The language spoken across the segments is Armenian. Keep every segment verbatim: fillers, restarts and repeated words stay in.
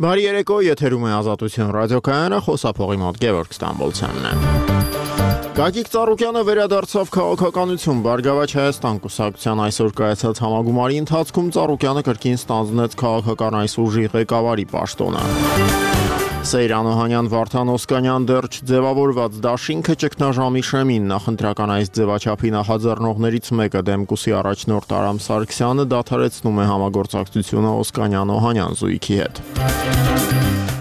Բարի երեկո, եթերում է Ազատություն ռադիոկայանը, խոսափողի մոտ Գևորգ Ստամբոլցյանն է։ Գագիկ Ծառուկյանը վերադարձավ քաղաքականություն։ Բարգավաճ Հայաստան կուսակցության այսօր կայացած համագումարի ընթացքում Ծառուկյանը կրկին ստանձնեց քաղաքական այս ուժի ղեկավարի պաշտոնը։ Սեյրան Օհանյան Վարդան Օսկանյան դեռ չձևավորված դաշինքը ճգնաժամի շեմին նախընտրական այս ձևաչափի նախաձեռնողներից մեկը Դեմկուսի առաջնորդ Արամ Սարգսյանը դադարեցնում է համագործակցությունը Օսկանյան Օհանյան զույգի հետ։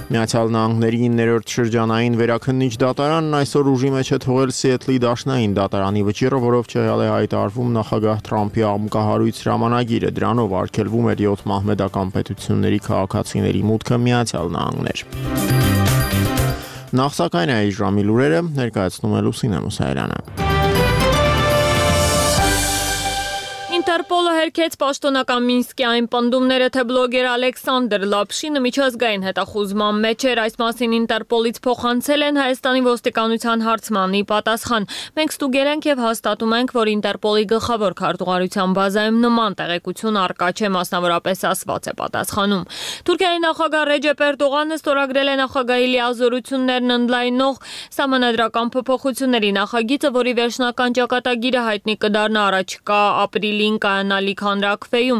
Միացյալ Նահանգների իններորդ շրջանային վերաքննիչ դատարանն այսօր ուժի մեջ է թողել Սիեթլի դաշնային դատարանի վճիռը, որով չեղյալ է հայտարարվում նախագահ Թրամփի աղմկահարույց հրամանագիրը, դրանով արգելվում էր յոթ մահմեդական պետությունների քաղաքացիների մուտքը Միացյալ Նահանգներ։ Նախ սակայն այս ժամի լուրերը ներկայացնում է Լուսինե Մուսայելյանը։ Ինտերպոլը հերքեց պաշտոնական Մինսկի այն պնդումները, թե բլոգեր Ալեքսանդր Լապշինը միջազգային հետախուզման մեջ էր, այս մասին Ինտերպոլից փոխանցել են Հայաստանի ոստիկանության հարցմանի պատասխան։ Մենք ստուգել ենք եւ հաստատում ենք, որ Ինտերպոլի գլխավոր քարտուղարության բազայում նման տեղեկություն առկա չէ, մասնավորապես ասված է պատասխանում։ Թուրքիայի նախագահ Ռեջեփ Էրդողանը ստորագրել է նախագահի լիազորություններն ընդլայնող սահմանադրական փոփոխությունների նախագիծը, որի վերջնական ճակատագիրը հայտնի կդառնա առաջիկա ապրիլին կայանալիք հանրաքվեում։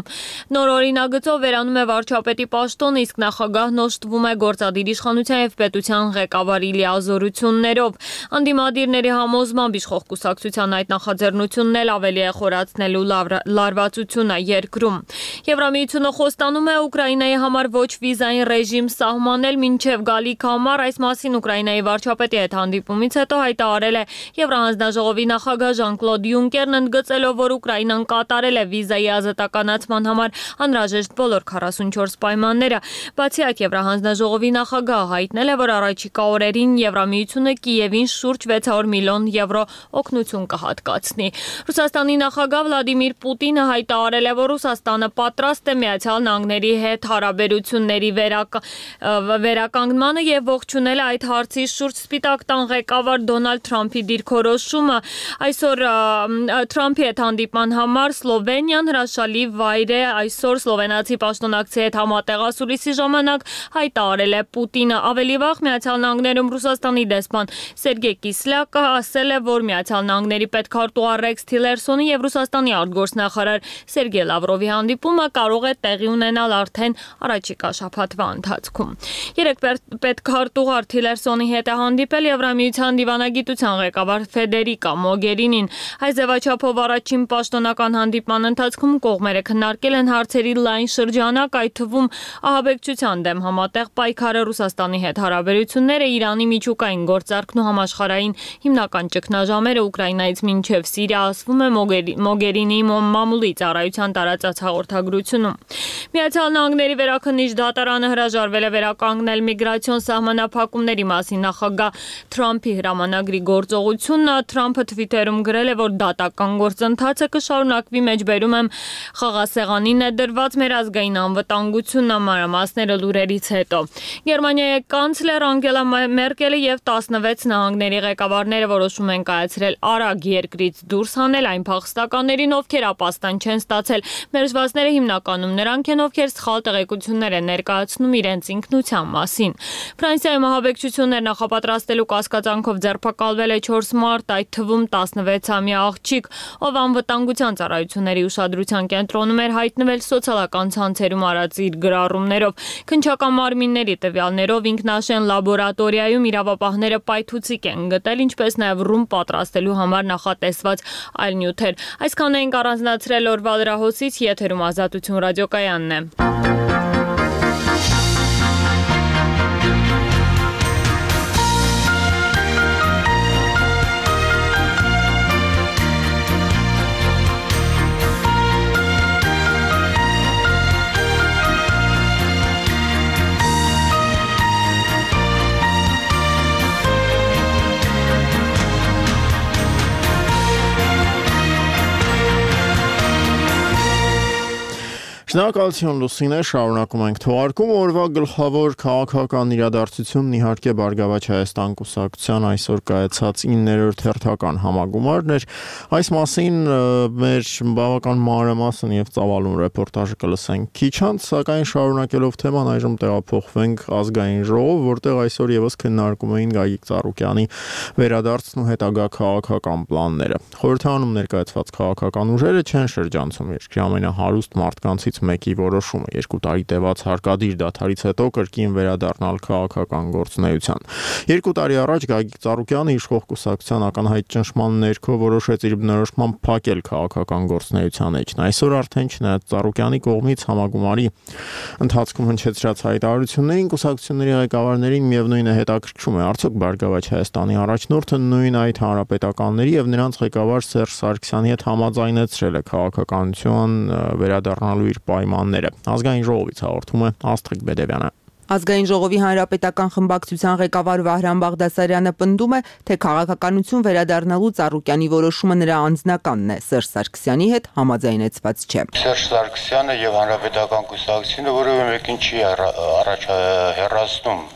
Նոր օրինագծով վերանում է վարչապետի պաշտոնը, իսկ նախագահն օժտվում է գործադիր իշխանության եւ պետության ղեկավարի լիազորություններով։ Անդիմադիրների համոզմամբ իշխող կուսակցության այդ նախաձեռնությունն էլ ավելի է խորացնելու լարվածությունը երկրում։ Եվրամիությունը խոստանում է Ուկրաինայի համար ոչ վիզային ռեժիմ սահմանել մինչև գալիք համար, այս մասին Ուկրաինայի վարչապետի հետ հանդիպումից հետո հայտարարել է Եվրահանձնաժողովի նախագահ Ժան-Կլոդ Յունկերն, ընդգծելով, որ Ուկրաինան կատարել է վիզայի ազատականացման համար անհրաժեշտ բոլոր քառասունչորս պայմանները։ Բացիակ Եվրահանձնաժողովի նախագահը հայտնել է, որ առաջիկա օրերին Եվրամիությունը Կիևին շուրջ վեց հարյուր միլիոն եվրո օգնություն կհատկացնի։ Ռուսաստանի նախագահ Վլադիմիր Պուտինը հայտարարել է, որ Ռուսաստանը պատրաստ է Միացյալ Նահանգների հետ հարաբերությունների վերականգնմանը եւ ողջունել այդ հարցի շուրջ Սպիտակ տան ղեկավար Դոնալդ Թրամփի դիրքորոշումը։ Այսօր Թրամփի հետ հանդիպման համար Սլովենիան հրաշալի վայր է, այսօր սլովենացի պաշտոնակցի հետ համատեղասուլիսի ժամանակ հայտարարել է Պուտինը։ Ավելի վաղ Միացյալ Նահանգներում Ռուսաստանի դեսպան Սերգեյ Կիսլյակը ասել է, որ Միացյալ Նահանգների պետքարտուղար Ռեքս Թիլերսոնի եւ Ռուսաստանի արտգործնախարար Սերգեյ Լավրովի հանդիպումը կարող է տեղի ունենալ արդեն առաջիկա շաբաթվա ընթացքում։ Երեք պետքարտուղար Թիլերսոնի հետ է հանդիպել Եվրամիության դիվանագիտության ղեկավար Ֆեդերիկա Մոգերինին։ Այս ձևաչափով առաջին պաշտոնական հանդիպման ընթացքում կողմերը քննարկել են հարցերի լայն շրջանակ, այդ թվում ահաբեկչության դեմ համատեղ պայքարը, Ռուսաստանի հետ հարաբերությունները, Իրանի միջուկային գործարքն ու համաշխարհային հիմնական ճգնաժամերը Ուկրաինայից մինչև Սիրիա, ասվում է Մոգերինիի մամուլի ծառայության տարածած հաղորդագրությունում։ Միացյալ Նահանգների վերաքննիչ դատարանը հրաժարվել է վերականգնել միգրացիոն սահմանափակումների մասին նախագահ Թրամփի հրամանագրի գործողությունը։ Թրամփը Թվիտերում գրել է, որ դատական գործընթացը կշարունակվի, մեջբերում եմ խաղասեղանին է դրված մեր ազգային անվտանգությունը, մանրամասները լուրերից հետո։ Գերմանիայի կանցլեր Անգելա Մերկելը եւ տասնվեց նահանգների ղեկավարները որոշում են կայացրել արագ երկրից դուրս հանել այն փախստականներին, ովքեր ապաստան չեն ստացել։ Մերժվածները հիմնականում նրանք են, ովքեր սխալ տեղեկություններ են ներկայացնում իրենց ինքնության մասին։ Ֆրանսիայում ահաբեկչություններ նախապատրաստելու կասկածանքով ձերբակալվել է չորս մարդ, այդ թվում տասնվեցամյա աղջիկ, ով անվտանգության ծառայությունների ուշադրության կենտրոնում էր, հայտնվել սոցիալական ցանցերում արած իր գրառումներով։ Քննչական մարմինների տվյալներով ինքնաշեն լաբորատորիայում իրավապահները պայթուցիկ են գտել, ինչպես նաև ռում պատրաստելու համար նախատեսված այլ նյութեր։ Այսքանն էինք առանձնացրել օրվա լրահոսից, եթերում Ազատություն ռադիոկայանն է։ Շնորհակալություն Լուսինե, շարունակում ենք թողարկում օրվա գլխավոր քաղաքական իրադարձությունն իհարկե Բարգավաճ Հայաստան կուսակցության այսօր կայացած իններորդ հերթական համագումարն էր։ Այս մասին մեր բավական մանրամասն եւ ծավալուն ռեպորտաժը կլսենք քիչ անց, սակայն շարունակելով թեման այժմ տեղափոխվենք ազգային ժողով, որտեղ այսօր եւս քննարկում էին Գագիկ Ծառուկյանի վերադարձն ու հետագա քաղաքական պլանները։ Խորհրդարանում ներկայացված քաղաքական ուժերը չեն շրջանցում երկրի ամենահարուստ մարդկանցից մեկի որոշումը երկու տարի տևած հարկադիր դադարից հետո կրկին վերադառնալ քաղաքական գործունեության։ Երկու տարի առաջ Գագիկ Ծառուկյանը իշխող կուսակցության ակնհայտ ճնշման ներքո որոշեց իր բնորոշմամբ փակել քաղաքական գործունեության էջն։ Այսօր արդեն չնայած Ծառուկյանի կողմից համագումարի ընթացքում հնչեցրած հայտարարություններին կուսակցությունների ղեկավարներին միևնույն է հետաքրքրում է արդյոք Բարգավաճ Հայաստանի առաջնորդը նույն այդ հանրապետականների եւ նրանց ղեկավար Սերժ Սարգսյանի հետ համաձայնեցրել է քաղաքականություն վերադառնալու իր պայմանները։ Ազգային ժողովից հաղորդում է Աստղիկ Բեդևյանը։ Ազգային ժողովի հանրապետական խմբակցության ղեկավար Վահրամ Բաղդասարյանը պնդում է, թե քաղաքականություն վերադառնալու Ծառուկյանի որոշումը նրա անձնականն է, Սերժ Սարգսյանի հետ համաձայնեցված չէ։ Սերժ Սարգսյանը եւ հանրապետական կուսակցությունը որևէ մեկին չի առաջ հեռացնում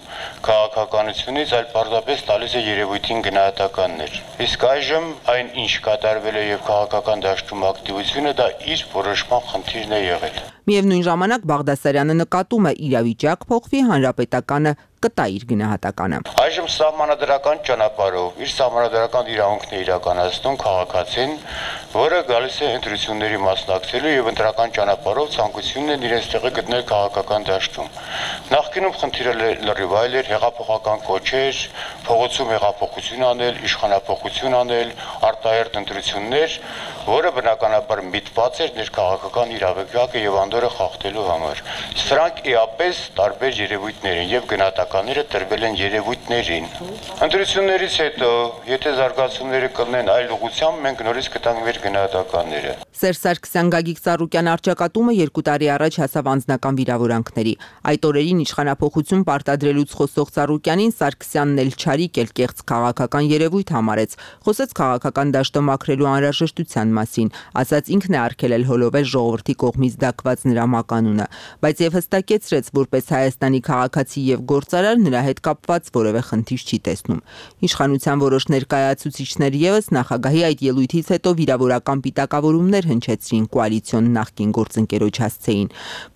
քաղաքականությունից, այլ պարզապես տալիս է երևույթին գնահատականներ։ Իսկ այժմ այն ինչ կատարվել է եւ քաղաքական դաշտում ակտիվությունը դա իր որոշման խնդիրն է եղել։ Միևնույն ժամանակ Բաղդասարյանը նկատում է իրավիճակ փոխվի, հանրապետականը կտա իր գնահատականը։ Այժմ սահմանադրական ճանապարհով իր սահմանադրական իրավունքն է իրականացնում քաղաքացին, որը գալիս է ընտրությունների մասնակցելու եւ ընտրական ճանապարհով ցանկությունն է իրենց տեղը գտնել քաղաքական դաշտում։ Նախկինում խնդիրը լրիվ այլ էր, հեղափոխական կոչեր, փողոցում հեղափոխություն անել, իշխանապողություն անել, արտահերտ ընտրություններ, որը բնականաբար միտված էր ներքաղաքական իրավիճակը եւ անդորը խախտելու համար։ Սրանք իապես տարբեր երևույթներ են եւ գնահատականները տրվել են երևույթներին։ Ընտրություններից հետո, եթե զարգացումները կլինեն այլ ուղղությամբ, մենք նորից կտանք մեր գնահատականները։ Սերժ Սարգսյան Գագիկ Ծառուկյան արճակատումը երկու տարի առաջ հասավ անձնական վիրավորանքների։ Այդ օրերին իշխանապողություն պարտադրելուց խոսող Ծառուկյանին Սարգսյանն էլ չարիք էլ կեղծ քաղաքական երևույթ համարեց։ Խոսեց քաղաքական դաշտը մաքրելու անհրաժեշտության մասին, ասաց ինքն է արգելել հոլովել ժողովրդի կողմից դակված նրա մականունը, բայց եւ հստակեցրեց, որպես Հայաստանի քաղաքացի եւ գործարար նրա հետ կապված որևէ խնդիր չի տեսնում։ Իշխանության որոշ ներկայացուցիչներ եւս նախագահի այդ ելույթից հետո վիրավորական պիտակավորումներ հնչեցրին կոալիցիոն նախկին գործընկերոջ հասցեին։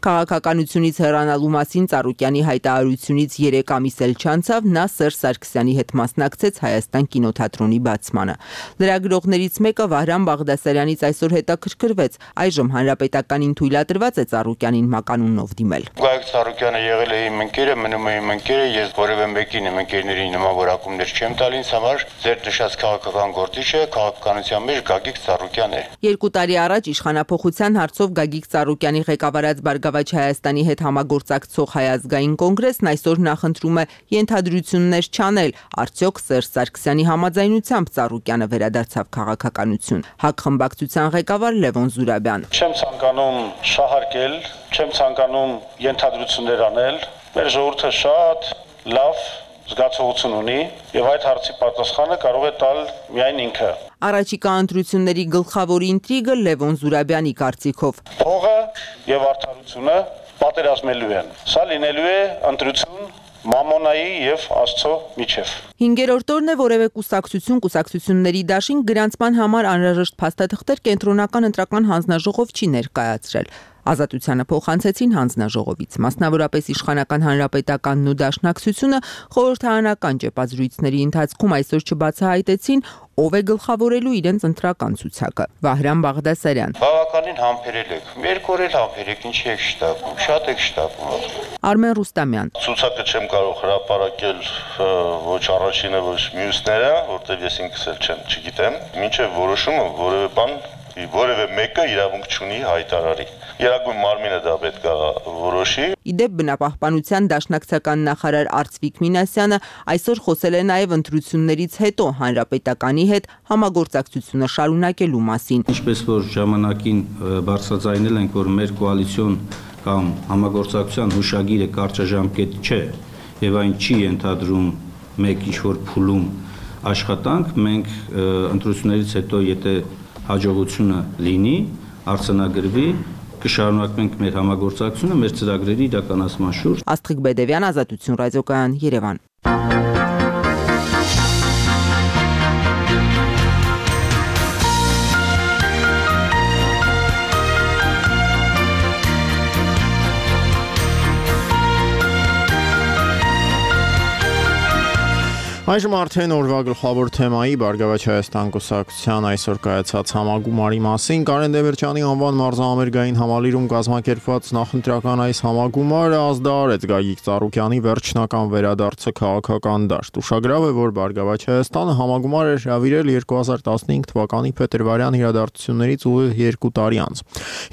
Քաղաքականությունից հեռանալու մասին Ծառուկյանի հայտարարությունից երեք ամիս էլ չանցավ, նա Սերժ Սարգսյանի հետ մասնակցեց Հայաստան կինոթատրոնի բացմանը։ Լրագրողներից մեկը Վահրամ Բաղդասարյանից այսօր հետաքրքրվեց, այժմ հանրապետականին թույլատրված է Ծառուկյանին մականունով դիմել։ Գագիկ Ծառուկյանը եղել է իմ ընկերը, մնում է իմ ընկերը, ես որևէ մեկին իմ ընկերներին նման որակումներ չեմ տալ, ինձ համար ձեր նշած քաղաքական գործիչը քաղաքականության մեջ Գագիկ Ծառուկյանն է։ Երկու տարի առաջ իշխանապողության հարցով Գագիկ Ծառուկյանի ղեկավարած Բարգավաճ Հայաստանի հետ համագործակցող Հայ ազգային կոնգրեսն այսօր նախընտրում է ենթադրություններ չանել, արդյոք Սերժ Սարգսյանի համաձայնությամբ Ծառուկյանը վերադարձավ քաղաքականություն։ ՀԱԿ խմբակցության ղեկավար Լևոն Զուրաբյան։ Չեմ ցանկանում շահարկել, չեմ ցանկանում ենթադրություններ անել։ Մեր ժողովուրդը շատ լավ զգացողություն ունի եւ այդ հարցի պատասխանը կարող է տալ միայն ինքը։ Առաջիկա ընտրությունների գլխավոր ինտրիգը Լևոն Զուրաբյանի կարծիքով փողը եւ արդարությունը պատերազմելու են։ Սա լինելու է ընտրություն Մամոնայի եւ Աստծո միջև։ Հինգերորդ օրն է որևէ կուսակցություն կուսակցությունների դաշին գրանցման համար անհրաժեշտ փաստաթղթեր կենտրոնական ընտրական հանձնաժողով չի ներկայացրել։ Ազատությանը փոխանցեցին հանձնաժողովից, մասնավորապես իշխանական հանրապետականն ու դաշնակցությունը խորհրդարանական ճեպազրույցների ընթացքում այսօր չբացահայտեցին, ով է գլխավորելու իրենց ընտրական ցուցակը։ Վահրամ Բաղդասարյան։ Բավականին համբերել եք։ Երկու օր էլ համբերեք, ինչի եք շտապում, շատ եք շտապում։ Արմեն Ռուստամյան։ Ցուցակը չեմ կարող հրապարակել ոչ առաջինը, ոչ մյուսները, որտեղ ես ինքս էլ չեմ, չգիտեմ։ Մինչև որոշումը որևէ բան, որևէ մեկը իրավունք չունի հայտարարի։ Երագույն մարմինը դա պետք է որոշի։ Իդեպ բնապահպանության դաշնակցական նախարար Արծվիկ Մինասյանը այսօր խոսել է նաև ընտրություններից հետո հանրապետականի հետ համագործակցությունը շարունակելու մասին։ Ինչպես որ ժամանակին բարձրաձայնել ենք, որ մեր կոալիցիոն կամ համագործակցության հուշագիրը կարճաժամկետ չէ եւ այն չի ենթադրում մեկ ինչ-որ փուլում աշխատանք, մենք ընտրություններից հետո եթե հաջողությունը լինի, արձանագրվի, կշարունակենք մեր համագործակցությունը մեր ծրագրերի իրականացման շուրջ։ Աստղիկ Բեդևյան, Ազատություն ռադիոկայան, Երևան։ Այժմ արդեն օրվա գլխավոր թեմայի Բարգավաճ Հայաստան կուսակցության այսօր կայացած համագումարի մասին Կարեն Դեմիրճյանի անվան մարզահամերգային համալիրում կազմակերպված նախընտրական այս համագումարը ազդարարեց Գագիկ Ծառուկյանի վերջնական վերադարձը քաղաքական դաշտ։ Ուշագրավ է, որ Բարգավաճ Հայաստանը համագումար էր հրավիրել երկու հազար տասնհինգ թվականի փետրվարյան իրադարձություններից ուղիղ երկու տարի անց։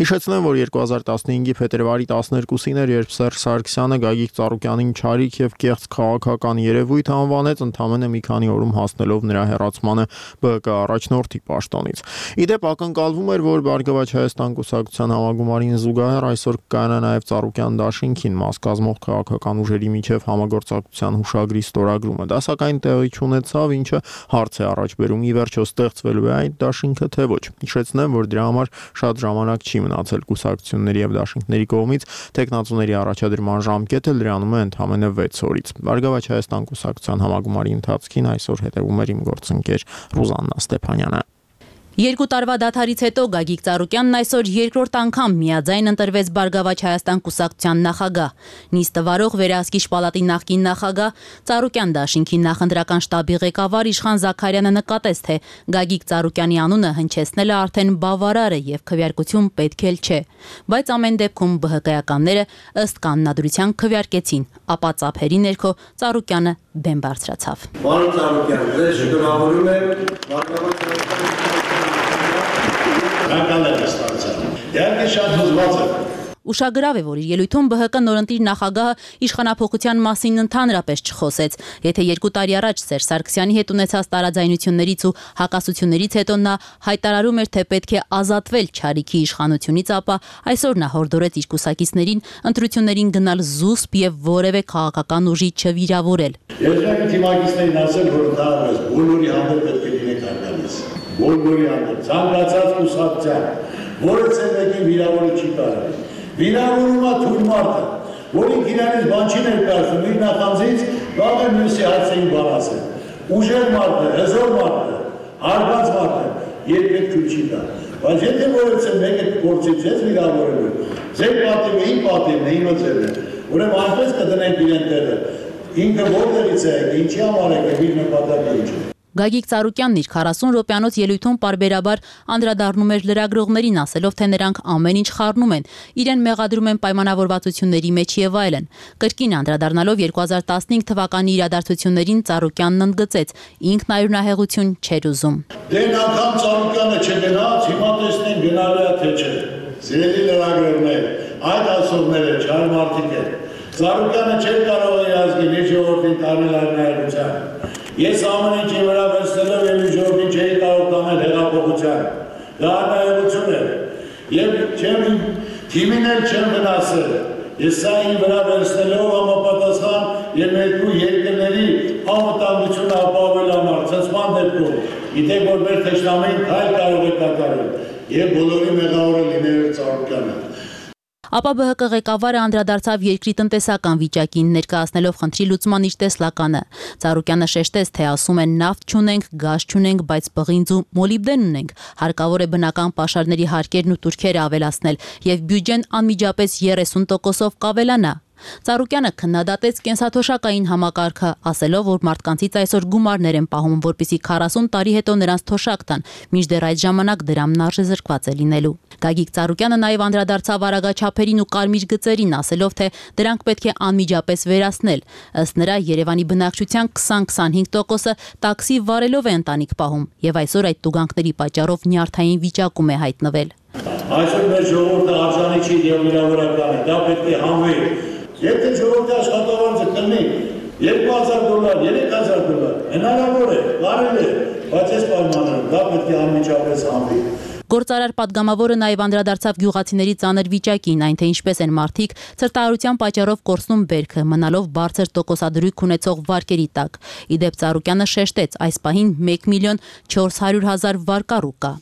Հիշեցնեմ, որ երկու հազար տասնհինգի փետրվարի տասներկուսին էր, երբ Սերժ Սարգսյանը Գագիկ Ծառուկյանին չարիք եւ կեղծ քաղաքական երևույթ անվանեց ամենը մի քանի օրում հասնելով նրա հեռացմանը Բ Կ առաջնորդի պաշտոնից։ Իդեպ ակնկալվում էր, որ Բարգավաճ Հայաստան կուսակցության համագումարին զուգահեռ այսօր կայանա նաև Ծառուկյան դաշինքին մաս կազմող քաղաքական ուժերի միջև համագործակցության հուշագրի ստորագրումը։ Դա սակայն տեղի չունեցավ, ինչը հարց է առաջ բերում՝ ի վերջո ստեղծվելու է այդ դաշինքը թե ոչ։ Հիշեցնեմ, որ դրա համար շատ ժամանակ չի մնացել կուսակցությունների եւ դաշինքների կողմից, տեխնացուների առաջադրման ժամկետը լրանում է ընդամենը վեց օրից։ Բարգավաճ Հայաստան կուսակցության համագումարի ընթացքին այսօր հետևում էր իմ գործընկեր Ռուզաննա Ստեփանյանը։ Երկու տարվա դադարից հետո Գագիկ Ծառուկյանն այսօր երկրորդ անգամ միաձայն ընտրվեց Բարգավաճ Հայաստան կուսակցության նախագահ։ Նիստը վարող Վերահսկիչ պալատի նախկին նախագահ Ծառուկյան դաշինքի նախընտրական շտաբի ղեկավար Իշխան Զաքարյանը նկատեց, թե Գագիկ Ծառուկյանի անունը հնչեցնելը արդեն բավարար է եւ քվեարկություն պետք էլ չէ։ Բայց ամեն դեպքում Բ Հ Կ-ականները ըստ կանոնադրության քվեարկեցին, ապա ծափերի ներքո Ծառուկյանը բեմ բարձրացավ։ Պարոն Ծառուկյան, ձեզ շնորհավորում եմ Բարգավաճ Իհարկե շատ հուզված եմ։ Ուշագրավ է, որ իր ելույթում Բ Հ Կ նորընտիր նախագահը իշխանափոխության մասին ընդհանրապես չխոսեց։ Եթե երկու տարի առաջ Սերժ Սարգսյանի հետ ունեցած տարաձայնություններից ու հակասություններից հետո նա հայտարարում էր, թե պետք է ազատվել չարիքի իշխանությունից, ապա այսօր նա հորդորեց իր կուսակիցներին ընտրություններին գնալ զուսպ եւ որևէ քաղաքական ուժի չվիրավորել։ Ես եկի թիմակիցներին ասել, որ դա բոլորի համար պետք է լինեք արգալից։ Բոլորի համար ցանկացած կուսակցության, որը ցերեկի վիրավորը չի կարող։ Վիրավորումա թույլ մարդը, որին իրանից բան չի ներկայացնում, իր նախանձից վաղը մյուսի հարցերին բան ասել։ Ուժեղ մարդը, հզոր մարդը, հարված մարդը երբեք թույլ չի տա։ Բայց եթե որևէ մեկը փորձի ձեզ վիրավորելու, ձեր պատիվը իմ պատիվն է, իմը ձերն է։ Ուրեմն այնպես կդնենք իրեն տեղը։ Ինքը որտեղից է, ինչի համար է, իր նպատակը ինչ է։ Գագիկ Ծառուկյանն իր քառասուն րոպեանոց ելույթում պարբերաբար անդրադառնում էր լրագրողներին, ասելով, թե նրանք ամեն ինչ խառնում են, իրեն մեղադրում են պայմանավորվածությունների մեջ եւ այլն։ Կրկին անդրադառնալով երկու հազար տասնհինգ թվականի իրադարձություններին Ծառուկյանն ընդգծեց, ինքն այրունահեղություն չէր ուզում։ Դեն անգամ Ծառուկյանը չգնաց, հիմա տեսնենք գնալու է թե չէ։ Սիրելի լրագրողներ, այդ ասողները չար մարդիկ են։ Ծառուկյանը չէր կարող իր ազգին, իր ժողովրդին տանել այրունահեղության։ Ես ամեն ինչի վրա վերցնելով եւ ժողովրդին չէի կարող տանել հեղափոխության։ Դա անհայություն է։ Եվ չեմ թիմին էլ չեմ վնասել։ Ես սա իմ վրա վերցնելով համապատասխան եւ երկու երկրների անվտանգությունը ապահովել համար ցածման դեպքում, գիտեք որ մեր թշնամին քայլ կարող է կատարել եւ բոլորի մեղավորը լինել Ծառուկյանը։ Ապա Բ Հ Կ ղեկավարը անդրադարձավ երկրի տնտեսական վիճակին, ներկայացնելով խնդրի լուծման իր տեսլականը։ Ծառուկյանը շեշտեց, թե ասում են նավթ չունենք, գազ չունենք, բայց պղինձ ու մոլիբդեն ունենք։ Հարկավոր է բնական պաշարների հարկերն ու տուրքերը ավելացնել եւ բյուջեն անմիջապես երեսուն տոկոսով կավելանա։ Ծառուկյանը քննադատեց կենսաթոշակային համակարգը, ասելով, որ մարդկանցից այսօր գումարներ են պահում, որպեսզի քառասուն տարի հետո նրանց թոշակ տան, մինչդեռ այդ ժամանակ դրամն արժեզրկված է լինելու։ Գագիկ Ծառուկյանը նաև անդրադարձավ արագաչափերին ու կարմիր գծերին, ասելով, թե դրանք պետք է անմիջապես վերացնել։ Ըստ նրա, Երևանի բնակչության քսան-քսանհինգ տոկոսը տաքսի վարելով է ընտանիք պահում, եւ այսօր այդ տուգանքների պատճառով նյարդային վիճակում է հայտնվել։ Այսօր մեր ժողովուրդը արժանի չի եւ վիրավորական է, դա պետք է հանվի։ Եթե ժողովրդի աշխատավարձը կլինի երկու հազար դոլար, երեք հազար դոլար, հնարավոր է, կարելի է, բայց այս պայմաններում դա պետք է անմիջապես հանվի։ Գործարար պատգամավորը նաև անդրադարձավ գյուղացիների ծանր վիճակին, այն թե ինչպես են մարդիկ ցրտահարության պատճառով կորցնում բերքը, մնալով բարձր տոկոսադրույք ունեցող վարկերի տակ։ Ի դեպ Ծառուկյանը շեշտեց, այս պահին մեկ միլիոն չորս հարյուր հազար վարկառու կա։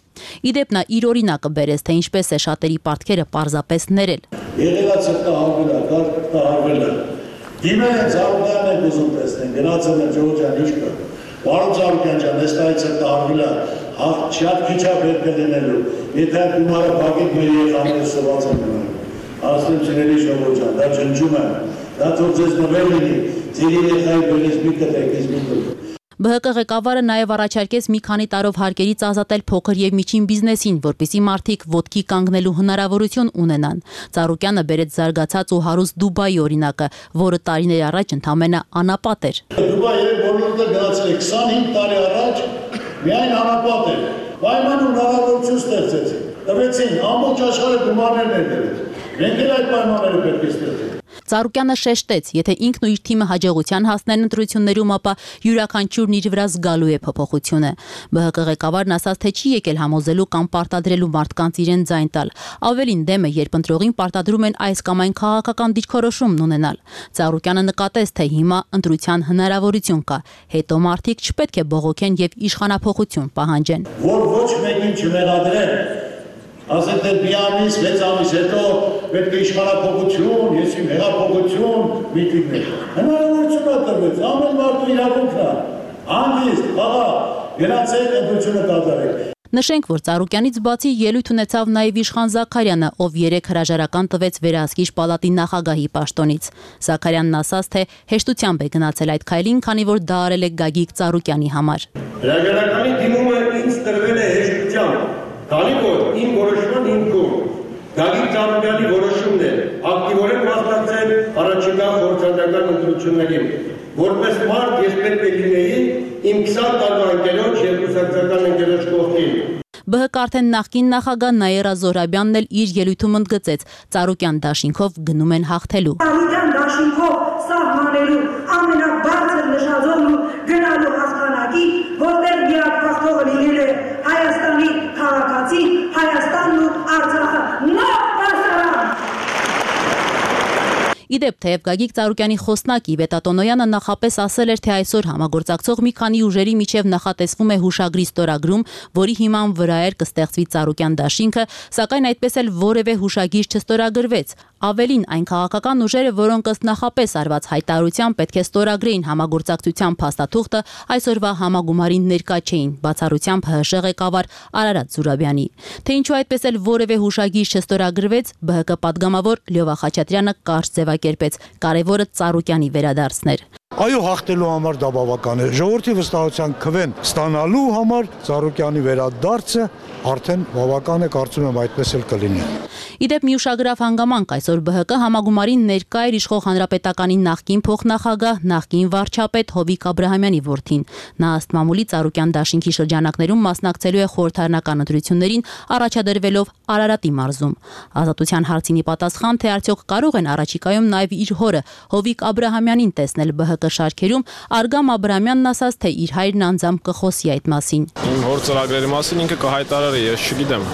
Իդեպ նա իր օրինակը բերեց, թե ինչպես է շատերի պարտքերը պարզապես ներել։ Եղելացը կահարվել է, կահարվել է։ Դիմել են Ծառուկյանն եք ուզում տեսնեն, գնացել են Ջորջան իշկը, Վարոն Ծառուկյան ջան, ես տայից է կահարվել է, շատ քիչ է պետք է լինելու, եթե գումարը բակետ մեր երեխաները սոված են գնալու։ Ասում չների Ժողովուրդ ջան, դա ջնջում է, դա թող ձեզ նվեր լինի, ձեր երեխայի բերես մի կտեք, ես մի կտեք։ Բ Հ Կ ղեկավարը նաև առաջարկեց մի քանի տարով հարկերից ազատել փոքր եւ միջին բիզնեսին, որպեսզի մարդիկ ոտքի կանգնելու հնարավորություն ունենան։ Ծառուկյանը բերեց զարգացած ու հարուստ Դուբայի օրինակը, որը տարիներ առաջ ընդամենը անապատ էր։ Դուբայի ոլորտը գնացել է քսանհինգ տարի առաջ, միայն անապատ էր։ Պայմանը հնարավորություն ստեղծեցին։ Տվեցին ամբողջ աշխարհը գումարներ ներդրեց։ Մենք էլ այդ պայմանները պետք է ստեղծենք։ Ծառուկյանը շեշտեց, եթե ինքն ու իր թիմը հաջողության հասնեն ընտրություններում, ապա յուրաքանչյուրն իր վրա զգալու է փոփոխությունը։ Բ Հ Կ ղեկավարն ասաց, թե չի եկել համոզելու կամ պարտադրելու մարդկանց իրեն ձայն տալ։ Ավելին դեմ է, երբ ընտրողին պարտադրում են այս կամ այն քաղաքական դիրքորոշումն ունենալ։ Ծառուկյանը նկատեց, թե հիմա ընտրության հնարավորություն կա, հետո մարդիկ չպետք է բողոքեն եւ իշխանափոխություն պահանջեն։ Որ ոչ մեկին չմեղադրեն, ասել թե մի ամիս, վեց ամիս հետո պետք է իշխանափոխություն, ես իմ հեղափոխություն միտինգներ։ Հնարավորություն է տրվեց, ամեն մարդու իրավունքն է, հանգիստ, խաղաղ, գնացեք ընտրությունը կատարեք։ Նշենք, որ Ծառուկյանից բացի ելույթ ունեցավ նաև Իշխան Զաքարյանը, ով երեք հրաժարական տվեց Վերահսկիչ պալատի նախագահի պաշտոնից։ Զաքարյանն ասաց, թե հեշտությամբ է գնացել այդ քայլին, քանի որ դա արել է Գագիկ Ծառուկյանի համար։ Հրաժարականի դիմումը ինձ տրվել է հեշտությամբ, քանի որ իմ որոշման հիմքում Գագիկ Ծառուկյանի որոշումն է ակտիվորեն մասնակցել առաջիկա խորհրդարական ընտրություններին։ Որպես մարդ ես պետք է լինեի իմ քսան տարվա ընկերոջ եւ կուսակցական ընկերոջ կողքին։ Բ Հ Կ արդեն նախկին նախագահ Նաիրա Զոհրաբյանն էլ իր ելույթում ընդգծեց, Ծառուկյան դաշինքով գնում են հաղթելու։ Ծառուկյան դաշինքով սահմանելու ամենաբարձր նշաձողն ու գնալու հաղթանակի, որտեղ միակողմը լինել է Հայաստանի քաղաքացին, Հայաստանն ու Արցախը։ Նոր բարձրան։ Իդեպ, թեև Գագիկ Ծառուկյանի խոսնակ Իվետ Ատոնոյանը նախապես ասել էր, թե այսօր համագործակցող մի քանի ուժերի միջև նախատեսվում է հուշագրի ստորագրում, որի հիման վրա էր կստեղծվի Ծառուկյան դաշինքը, սակայն այդպես էլ որևէ հուշագիր չստորագրվեց։ Ավելին, այն քաղաքական ուժերը, որոնք ըստ նախապես արված հայտարարության պետք է ստորագրեին համագործակցության փաստաթուղթը, այսօրվա համագումարին ներկա չէին, բացառությամբ Հ Հ ղեկավար Արարատ Զուրաբյանի։ Թե ինչու այդպես էլ որևէ հուշագիր չստորագրվեց, Բ Հ Կ պատգամավոր Լյովա Խաչատրյանը կարճ ձևակերպեց, կարևորը Ծառուկյանի վերադարձներ։ Այո, հաղթելու համար դա բավական է։ Ժողովրդի վստահության քվեն ստանալու համար Ծառուկյանի վերադարձը արդեն բավական է, կարծում եմ այդպես էլ կլինի։ Իդեպ մի ուշագրավ հանգամանք այսօր Բ Հ Կ համագումարին ներկա էր իշխող հանրապետականի նախկին փոխնախագահ, նախկին վարչապետ Հովիկ Աբրահամյանի որդին։ Նա ըստ մամուլի Ծառուկյան դաշինքի շրջանակներում մասնակցելու է խորհրդարանական ընտրություններին, առաջադրվելով Արարատի մարզում։ Ազատության հարցին ի պատասխան, թե արդյոք կարող են առաջիկայում նաև իր հորը Հովիկ Աբրահամյանին տեսնել Բ Հ Կ շարքերում, Արգամ Աբրահամյանն ասաց, թե իր հայրն անձամբ կխոսի այդ մասին։ Իմ հոր ծրագրերի մասին ինքը կհայտարարի, ես չգիտեմ։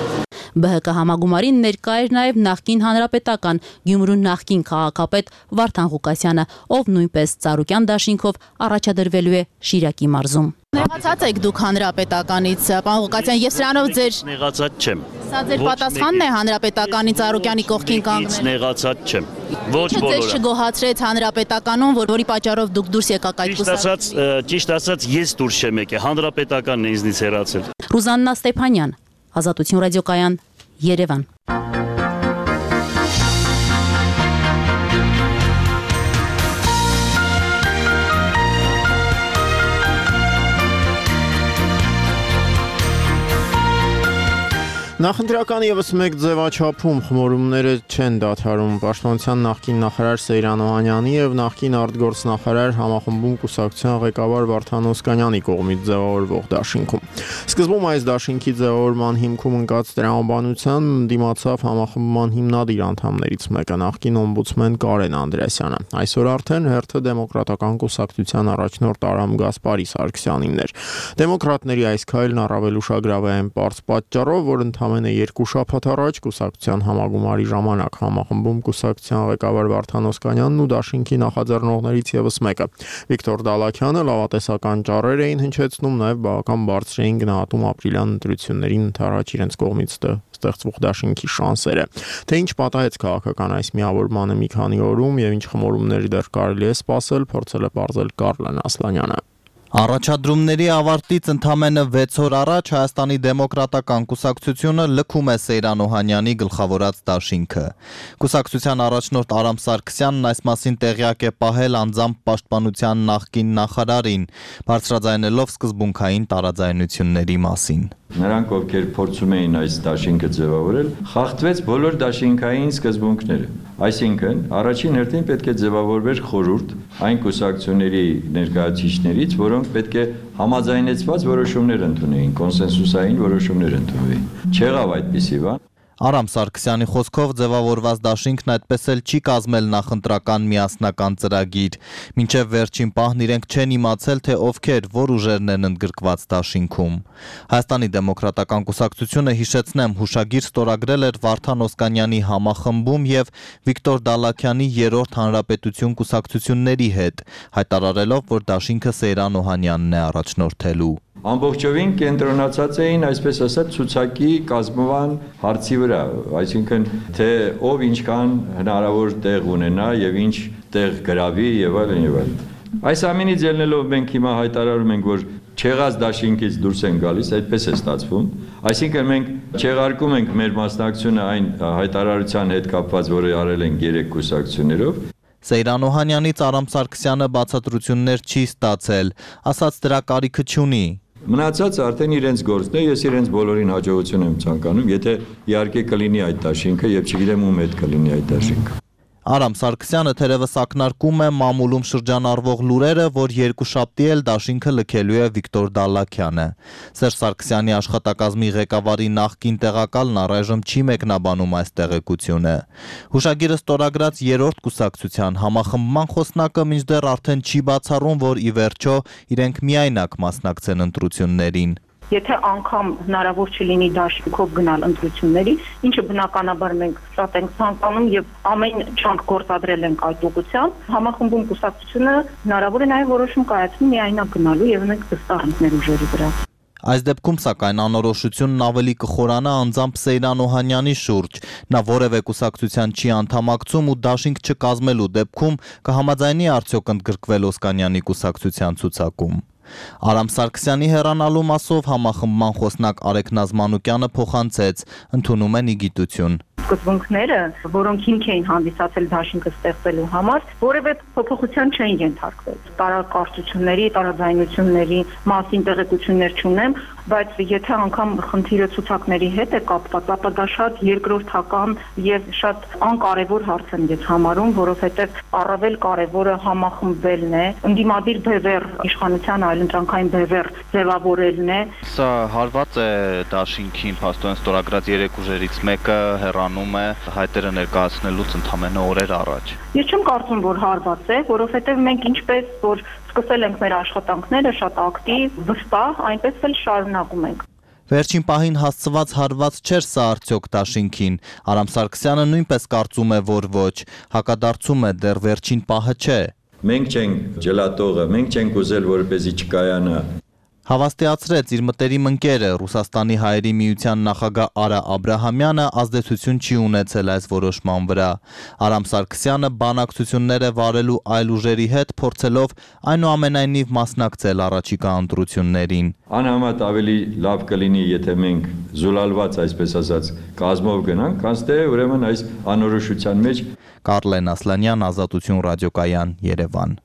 Բ Հ Կ համագումարին ներկա էր նաև նախկին հանրապետական Գյումրու նախկին քաղաքապետ Վարդան Ղուկասյանը, ով նույնպես Ծառուկյան դաշինքով առաջադրվելու է Շիրակի մարզում։ Նեղացած եք դուք հանրապետականից, պարոն Ղուկասյան, եւ սրանով ձեր նեղացած չեմ։ Սա ձեր պատասխանն է հանրապետականի Ծառուկյանի կողքին կանգնել։ Նեղացած չեմ։ Ոչ բոլորը։ Ձեզ չգոհացրեց հանրապետականում, որ որի պատճառով դուք դուրս եկաք այդ կուսակցությունից։ Ճիշտ ասած, ճիշտ ասած, ես դուրս չեմ եկել, հանրապետականն է ինձնից հեռացել։ Ռուզաննա Ստեփանյան, Ազատություն ռադիոկայան, Երևան։ Նախընտրական եւս մեկ ձևաչափում խմորումները չեն դադարում։ Պաշտպանության նախկին նախարար Սեյրան Օհանյանի եւ նախկին արտգործնախարար համախմբում կուսակցության ղեկավար Վարդան Օսկանյանի կողմից ձևավորվող դաշինքում։ Սկզբում այս դաշինքի ձևավորման հիմքում ընկած տրամաբանության դիմացավ համախմբման հիմնադիր անդամներից մեկը, նախկին օմբուդսմեն Կարեն Անդրեասյանը։ Այսօր արդեն հերթը դեմոկրատական կուսակցության առաջնորդ Արամ Գասպարի Սարգսյանինն էր։ Դեմոկրատների այս քայլն առավել ուշագրավ է այն պարզ պատճառով, որ ընդհանուր ընդամենը երկու շաբաթ առաջ կուսակցության համագումարի ժամանակ համախմբում կուսակցության ղեկավար Վարդան Օսկանյանն ու դաշինքի նախաձեռնողներից ևս մեկը Վիկտոր Դալաքյանը լավատեսական ճառեր էին հնչեցնում, նաև բավական բարձր էին գնահատում ապրիլյան ընտրություններին ընդառաջ իրենց կողմից ստեղծվող դաշինքի շանսերը։ Թե ինչ պատահեց քաղաքական այս միավորմանը մի քանի օրում եւ ինչ խմորումներ դեռ կարելի է սպասել, փորձել է պարզել Կարլեն Ասլանյանը։ Առաջադրումների ավարտից ընդամենը վեց օր առաջ Հայաստանի դեմոկրատական կուսակցությունը լքում է Սեյրան Օհանյանի գլխավորած դաշինքը։ Կուսակցության առաջնորդ Արամ Սարգսյանն այս մասին տեղյակ է պահել անձամբ պաշտպանության նախկին նախարարին, բարձրաձայնելով սկզբունքային տարաձայնությունների մասին։ Նրանք, ովքեր փորձում էին այս դաշինքը ձևավորել, խախտվեց բոլոր դաշինքային սկզբունքները։ Այսինքն, առաջին հերթին պետք է ձևավորվեր խորհուրդ այն կուսակցությունների ներկայացուցիչներից, որոնք պետք է համաձայնեցված որոշումներ ընդունեին, կոնսենսուսային որոշումներ ընդունեին։ Չեղավ այդպիսի բան։ Արամ Սարգսյանի խոսքով ձևավորված դաշինքն այդպես էլ չի կազմել նախընտրական միասնական ծրագիր։ Մինչև վերջին պահն իրենք չեն իմացել, թե ովքեր, որ ուժերն են ընդգրկված դաշինքում։ Հայաստանի դեմոկրատական կուսակցությունը, հիշեցնեմ, հուշագիր ստորագրել էր Վարդան Օսկանյանի համախմբում եւ Վիկտոր Դալաքյանի երրորդ հանրապետություն կուսակցությունների հետ, հայտարարելով, որ դաշինքը Սեյրան Օհանյանն է առաջնորդելու։ Ամբողջովին կենտրոնացած էին, այսպես ասած, ցուցակի կազմման հարցի վրա, այսինքն թե ով ինչքան հնարավոր տեղ ունենա եւ ինչ տեղ գրավի եւ այլն եւ այլն։ Այս ամենից ելնելով մենք հիմա հայտարարում ենք, որ չեղած դաշինքից դուրս են գալիս, այդպես է ստացվում։ Այսինքն մենք չեղարկում ենք մեր մասնակցությունը այն հայտարարության հետ կապված, որը արել են երեք կուսակցություններով։ Սեյրան Օհանյանից Արամ Սարգսյանը բացատրություններ չի ստացել, ասաց դրա կարիքը չունի։ Մնացած արդեն իրենց գործն է, ես իրենց բոլորին հաջողություն եմ ցանկանում, եթե իհարկե կլինի այդ դաշինքը եւ չգիտեմ ում հետ կլինի այդ դաշինքը։ Արամ Սարգսյանը թերևս ակնարկում է մամուլում շրջանառվող լուրերը, որ երկուշաբթի էլ դաշինքը լքելու է Վիկտոր Դալաքյանը։ Սերժ Սարգսյանի աշխատակազմի ղեկավարի նախկին տեղակալն առայժմ չի մեկնաբանում այս տեղեկությունը։ Հուշագիրը ստորագրած երրորդ կուսակցության համախմբման խոսնակը մինչդեռ արդեն չի բացառում, որ ի վերջո իրենք միայնակ մասնակցեն ընտրություններին։ Եթե անգամ հնարավոր չլինի դաշինքով գնալ ընտրությունների, ինչը բնականաբար մենք շատ ենք ցանկանում եւ ամեն չանք գործադրել ենք այդ ուղղությամբ, համախմբում կուսակցությունը հնարավոր է նաեւ որոշում կայացնի միայնակ գնալու եւ մենք վստահ ենք մեր ուժերի վրա։ Այս դեպքում սակայն անորոշությունն ավելի կխորանա անձամբ Սեյրան Օհանյանի շուրջ։ Նա որևէ կուսակցության չի անդամակցում ու դաշինք չկազմելու դեպքում կհամաձայնի արդյոք ընդգրկվել Օսկանյանի կուսակցության ցուցակում։ Արամ Սարգսյանի հեռանալու մասով համախմբման խոսնակ Արեգ Նազմանուկյանը փոխանցեց, ընդունում են ի գիտություն։ Սկզբունքները, որոնք հիմք էին հանդիսացել դաշինքը ստեղծելու համար, որևէ փոփոխության չէին ենթարկվել։ Տարակարծությունների, տարաձայնությունների մասին տեղեկություններ չունեմ, բայց եթե անգամ խնդիրը ցուցակների հետ է կապված, ապա դա շատ երկրորդական եւ շատ անկարևոր հարց եմ ես համարում, որովհետեւ առավել կարևորը համախմբվելն է, ընդդիմադիր բևեռ իշխանության այլընտրանքային բևեռ ձևավորելն է։ Սա հարված է դաշինքին, փաստորեն ստորագրած երեք ուժերից մեկը հեռանում է հայտերը ներկայացնելուց ընդամենը օրեր առաջ։ Ես չեմ կարծում, որ հարված է, որովհետեւ մենք ինչպես որ սկսել ենք մեր աշխատանքները շատ ակտիվ, վստահ, այնպես էլ շարունակում ենք։ Վերջին պահին հասցված հարված չէր սա արդյոք դաշինքին։ Արամ Սարգսյանը նույնպես կարծում է, որ ոչ, հակադարձում է դեռ վերջին պահը չէ։ Մենք չենք ջլատողը, մենք չենք ուզել, որպեսզի չկայանա։ Հավաստիացրեց իր մտերիմ ընկերը Ռուսաստանի հայերի միության նախագահ Արա Աբրահամյանը ազդեցություն չի ունեցել այս որոշման վրա։ Արամ Սարգսյանը բանակցություններ է վարելու այլ ուժերի հետ, փորձելով այնուամենայնիվ մասնակցել առաջիկա ընտրություններին։ Անհամեմատ ավելի լավ կլինի, եթե մենք զուլալված, այսպես ասած, կազմով գնանք, քան թե ուրեմն այս անորոշության մեջ։ Կարլեն Ասլանյան, Ազատություն ռադիոկայան, Երևան։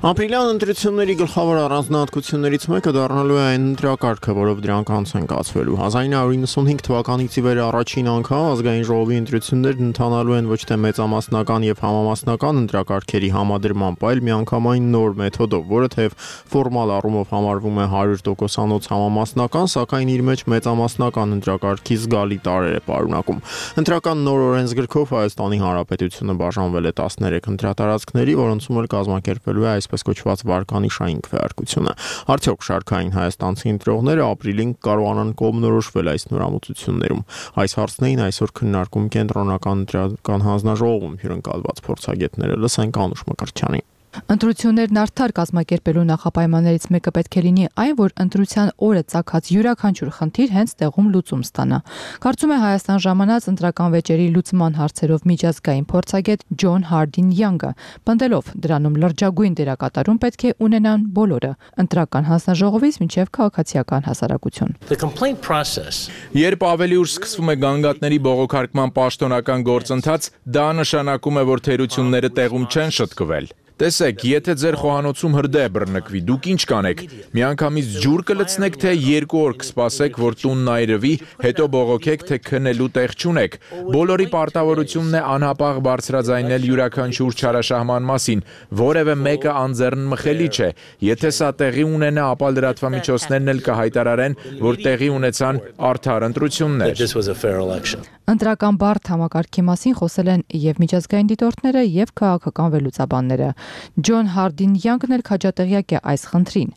Ապրիլյան ընտրությունների գլխավոր առանձնահատկություններից մեկը դառնալու է այն ընտրակարգը, որով դրանք անց են կացվելու։ հազար ինը հարյուր նվաթ թվականից ի վեր առաջին անգամ ազգային ժողովի ընտրություններն ընթանալու են ոչ թե մեծամասնական եւ համամասնական ընտրակարգերի համադրմամբ, այլ միանգամայն նոր մեթոդով, որը թեև ֆորմալ առումով համարվում է հարյուր տոկոսանոց համամասնական, սակայն իր մեջ մեծամասնական ընտրակարգի զգալի տարրեր է պարունակում։ Ընտրական նոր օրենսգրքով Հայաստանի Հանրապետությունը բաժանվել է տասներեք ընտրատարածքների, որոնցում էլ կազմակերպվելու է այս այսպես կոչված վարկանիշային քվեարկությունը։ Արդյոք շարքային հայաստանցի ընտրողները ապրիլին կարողանան կողմնորոշվել այս նորամուծություններում։ Այս հարցն էին այսօր քննարկում կենտրոնական ընտրական հանձնաժողովում հյուրընկալված փորձագետները։ Լսենք Անուշ Մկրտչյանին։ Ընտրություններն արդար կազմակերպելու նախապայմաններից մեկը պետք է լինի այն, որ ընտրության օրը ծագած յուրաքանչյուր խնդիր հենց տեղում լուծում ստանա։ Կարծում է Հայաստան ժամանած ընտրական վեճերի լուծման հարցերով միջազգային փորձագետ Ջոն Հարդին Յանգը, պնդելով դրանում լրջագույն դերակատարում պետք է ունենան բոլորը՝ ընտրական հանձնաժողովից մինչև քաղաքացիական հասարակություն։ Երբ ավելի ուշ սկսվում է գանգատների բողոքարկման պաշտոնական գործընթաց, դա նշանակում է, որ թերությունները տեղում չեն շտկվել։ Տեսեք, եթե ձեր խոհանոցում հրդեհ բռնկվի, դուք ինչ կանեք։ Միանգամից ջուր կլցնեք, թե երկու օր կսպասեք, որ տունն այրվի, հետո բողոքեք, թե քնելու տեղ չունեք։ Բոլորի պարտավորությունն է անհապաղ բարձրաձայնել յուրաքանչյուր չարաշահման մասին, որևէ մեկը անձեռնմխելի չէ։ Եթե սա տեղի ունենա, ապա լրատվամիջոցներն էլ կհայտարարեն, որ տեղի ունեցան արդար ընտրություններ։ Ընտրական բարդ համակարգի մասին խոսել են եւ միջազգային դիտորդները, եւ քաղաքական վերլուծաբանները։ Ջոն Հարդին Յանգն էլ քաջատեղյակ է այս խնդրին։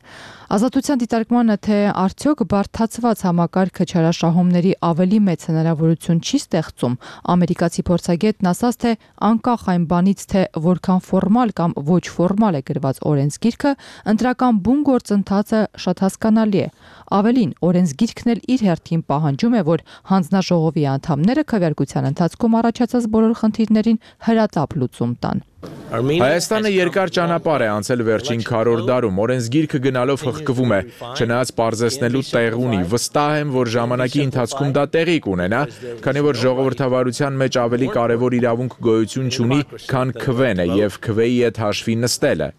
Ազատության դիտարկմանը, թե արդյոք բարդացված համակարգը չարաշահումների ավելի մեծ հնարավորություն չի ստեղծում, ամերիկացի փորձագետն ասաց, թե անկախ այն բանից, թե որքան ֆորմալ կամ ոչ ֆորմալ է գրված օրենսգիրքը, ընտրական բուն գործընթացը շատ հասկանալի է։ Ավելին, օրենսգիրքն էլ իր հերթին պահանջում է, որ հանձնաժողովի անդամները քվեարկության ընթացքում առաջացած բոլոր խնդիրներին հրատապ լուծում տան։ Հայաստանը երկար ճանապարհ է անցել վերջին քառորդ դարում, օրենսգիրքը գնալով հղկվում է, չնայած պարզեցնելու տեղ ունի։ Վստահ եմ, որ ժամանակի ընթացքում դա տեղի կունենա, քանի որ ժողովրդավարության մեջ ավելի կարևոր իրավունք գոյություն չունի, քան քվեն է եւ քվեի հետ հաշվի նստելը։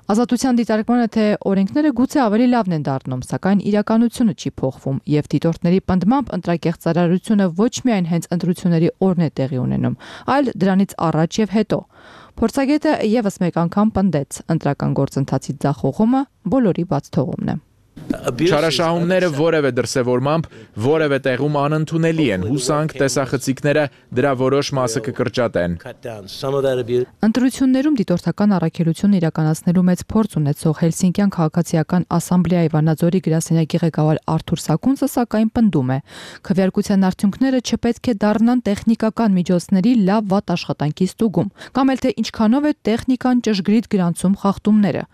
Ազատության դիտարկմանը, թե օրենքները գուցե ավելի լավն են դառնում, սակայն իրականությունը չի փոխվում եւ դիտորդների պնդմամբ ընտրակեղծարարությունը ոչ միայն հենց ընտրությունների օրն է տեղի ունենում, այլ դրանից առաջ եւ հետո։ Փորձագետը եւս մեկ անգամ պնդեց, ընտրական գործընթացի ձախողումը բոլորի բաց թողումն է։ Չարաշահումները որևէ դրսևորմամբ որևէ տեղում անընդունելի են, հուսանք տեսախցիկները դրա որոշ մասը կկրճատեն։ Ընտրություններում դիտորդական առաքելություն իրականացնելու մեծ փորձ ունեցող Հելսինկյան քաղաքացիական ասամբլեայի Վանաձորի գրասենյակի ղեկավար Արթուր Սակունցը սակայն պնդում է, քվեարկության արդյունքները չպետք է դառնան տեխնիկական միջոցների լավ վատ աշխատանքի ստուգում, կամ էլ թե ինչքանով է տեխնիկան ճշգրիտ գրանցում խախտումները։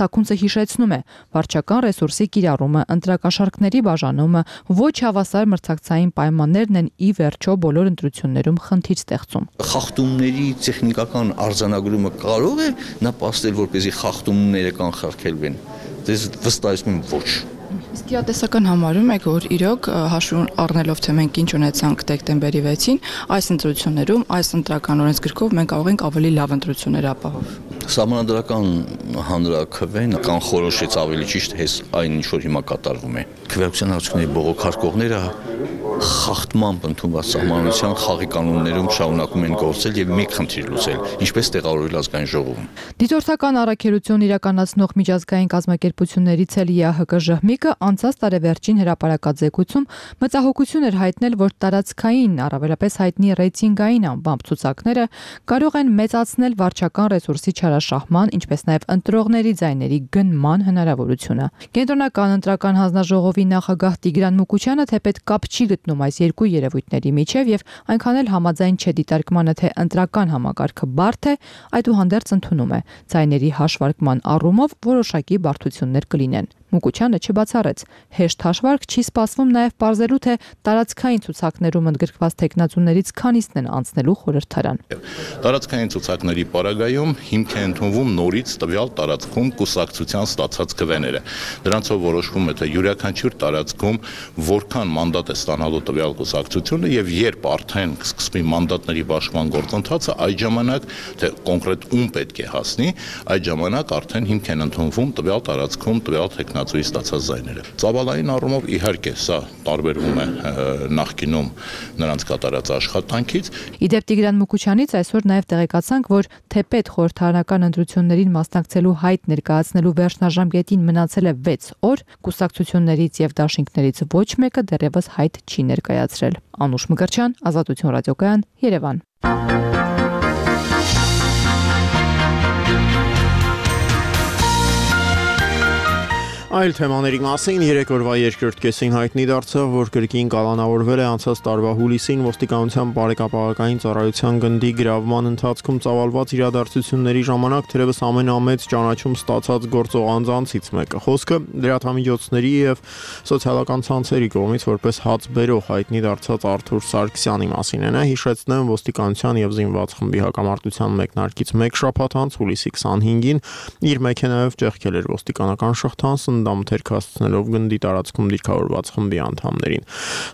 Սակունցը հիշեցնում է, վարչական ռեսուրսի կիրառումը, ընտրակաշառքների բաժանումը, ոչ հավասար մրցակցային պայմաններն են ի վերջո բոլոր ընտրություններում խնդիր ստեղծում։ Խախտումների տեխնիկական արձանագրումը կարող է նպաստել, որպեսզի խախտումները կանխարգելվեն։ Դες վստահեցնում եմ ոչ։ Իսկ իրատեսական համարում եք, որ իրոք հաշվի առնելով, թե մենք ինչ ունեցանք դեկտեմբերի վեցին, այս ընտրություններում, այս ընտրական օրենսգրքով մենք կարող ենք ավելի լավ ընտրություններ ապահով։ Սահմանադրական հանրաքվեն կանխորոշեց ավելի ճիշտ հես այն ինչ որ հիմա կատարվում է։ Քվեարկության արդյունքների բողոքարկողները խախտմամբ ընդունված սահմանության խաղի կանոններում շարունակում են գործել եւ մի խնդիր լուծել, ինչպես տեղավորել ազգային ժողովում։ Դիտորդական առաքելություն իրականացնող միջազգային կազմակերպություններից էլ ԵԱՀԿ ԺՀՄԻԿ-ը անցած տարեվերջին հրապարակաձեռնությունում մտահոգություն էր հայտնել, որ տարածքային, առավելապես հայտնի ռեյտինգային անբամբ ցուցակները կարող են մեծացնել վարչական ռեսուրսի չարաշահման, ինչպես նաեւ ընտրողների ձայների գնման հնարավորությունը։ Կենտրոնական ընտրական հանձնաժողովի նախագահ Տիգրան Մուկուչյանը թեպետ կապ չի գտնում այս երկու երևույթների միջև եւ այնքան էլ համաձայն չէ դիտարկմանը, թե ընտրական համակարգը բարդ է, այդուհանդերձ ընդունում է ձայների հաշվարկման առումով որոշակի բարդություններ կլինեն։ Մուկուչյանը չբացառեց, հեշտ հաշվարկ չի սպասվում նաև պարզելու, թե տարածքային ցուցակներում ընդգրկված տեխնացուներից քանիսն են անցնելու խորհրդարան։ Տարածքային ցուցակների պարագայում հիմք է ընդունվում նորից տվյալ տարածքում կուսակցության ստացած քվեները։ Դրանցով որոշվում է, թե յուրաքանչյուր տարածքում որքան մանդատ է ստանալու տվյալ կուսակցությունը եւ երբ արդեն սկսվի մանդատների բաշխման գործընթացը, այդ ժամանակ թե կոնկրետ ում պետք է հասնի, այդ ժամանակ արդեն հիմք են ընդունվում տվյալ տարածքում տվյալ տեխնացուի ստացած ձայները։ Ծավալային առումով իհարկե սա տարբերվում է նախկինում նրանց կատարած աշխատանքից։ Իդեպ Տիգրան Մուկուչյանից այսօր նաև տեղեկացանք, որ թեպետ խորհրդարանական ընտրություններին մասնակցելու հայտ ներկայացնելու վերջնաժամկետին մնացել է վեց օր, կուսակցություններից եւ դաշինքներից ոչ մեկը դեռևս հայտ չի ներկայացրել։ Անուշ Մկրտչյան, Ազատություն ռադիոկայան, Երևան։ Այլ թեմաների մասին երեք օրվա երկրորդ կեսին հայտնի դարձավ, որ կրկին կալանավորվել է անցած տարվա հուլիսին ոստիկանության բարեկապահական ծառայության գնդի գրավման ընթացքում ծավալված իրադարձությունների ժամանակ թերևս ամենամեծ ճանաչում ստացած գործող անձանցից մեկը։ Խոսքը լրատվամիջոցների եւ սոցիալական ցանցերի կողմից որպես հաց բերող հայտնի դարձած Արթուր Սարգսյանի մասին է։ Նա հիշեցնեմ ոստիկանության եւ զինված խմբի հակամարտության մեկնարկից մեկ շաբաթ անց հուլիսի քսանհինգին իր մեքենայով ճեղքել էր ոստիկանական շղթան դամթերք հասցնելով գնդի տարածքում դիրքավորված խմբի անդամներին։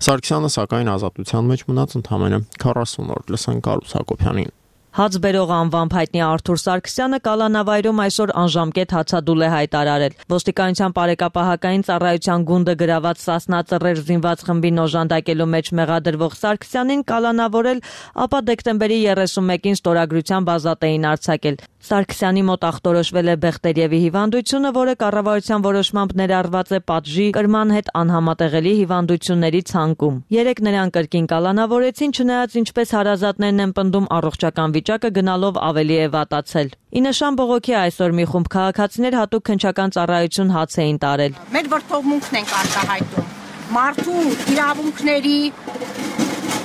Սարգսյանը սակայն ազատության մեջ մնաց ընդամենը քառասուն օր։ Լսենք Կարուս Հակոբյանին։ Հաց բերող անվամբ հայտնի Արթուր Սարգսյանը կալանավայրում այսօր անժամկետ հացադուլ է հայտարարել։ Ոստիկանության բարեկապահական ծառայության գունդը գրաված Սասնա ծռեր զինված խմբին օժանդակելու մեջ մեղադրվող Սարգսյանին կալանավորել, ապա դեկտեմբերի երեսունմեկին ստորագրությամբ ազատ էին արձակել։ Սարգսյանի մոտ ախտորոշվել է Բեղտերևի հիվանդությունը, որը կառավարության որոշմամբ ներառված է պատժի կրման հետ անհամատեղելի հիվանդությունների ցանկում։ Երեք նրան կրկին կալանավորեցին, չնայած ինչպես հարազատներն են պնդում, առողջական վիճակը գնալով ավելի է վատացել։ Ի նշան բողոքի այսօր մի խումբ քաղաքացիներ հատուկ քննչական ծառայություն հաց էին տարել։ Մեր ողջունքն ենք արտահայտում մարդու իրավունքների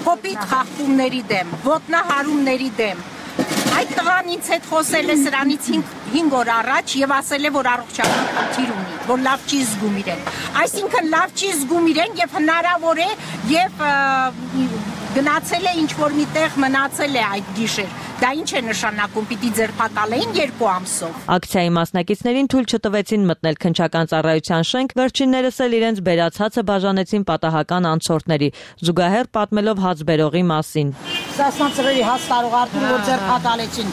կոպիտ խախտումների դեմ, ոտնահարումների դեմ։ Այդ տղան ինձ հետ խոսել է սրանից հինգ օր առաջ եւ ասել է, որ առողջական խնդիր ունի, որ լավ չի զգում իրեն։ Այսինքն լավ չի զգում իրեն եւ հնարավոր է եւ գնացել է ինչ որ միտեղ մնացել է այդ գիշեր։ Դա ինչ է նշանակում, պիտի ձերբակալեին երկու ամսով։ Ակցիայի մասնակիցներին թույլ չտվեցին մտնել քննչական ծառայության շենք, վերջիններս էլ իրենց բերած հացը բաժանեցին պատահական անցորդների, զուգահեռ պատմելով հաց բերողի մասին։ Սասնա ծռերի հաց տարող Արթուրը որ ձերբակալեցին։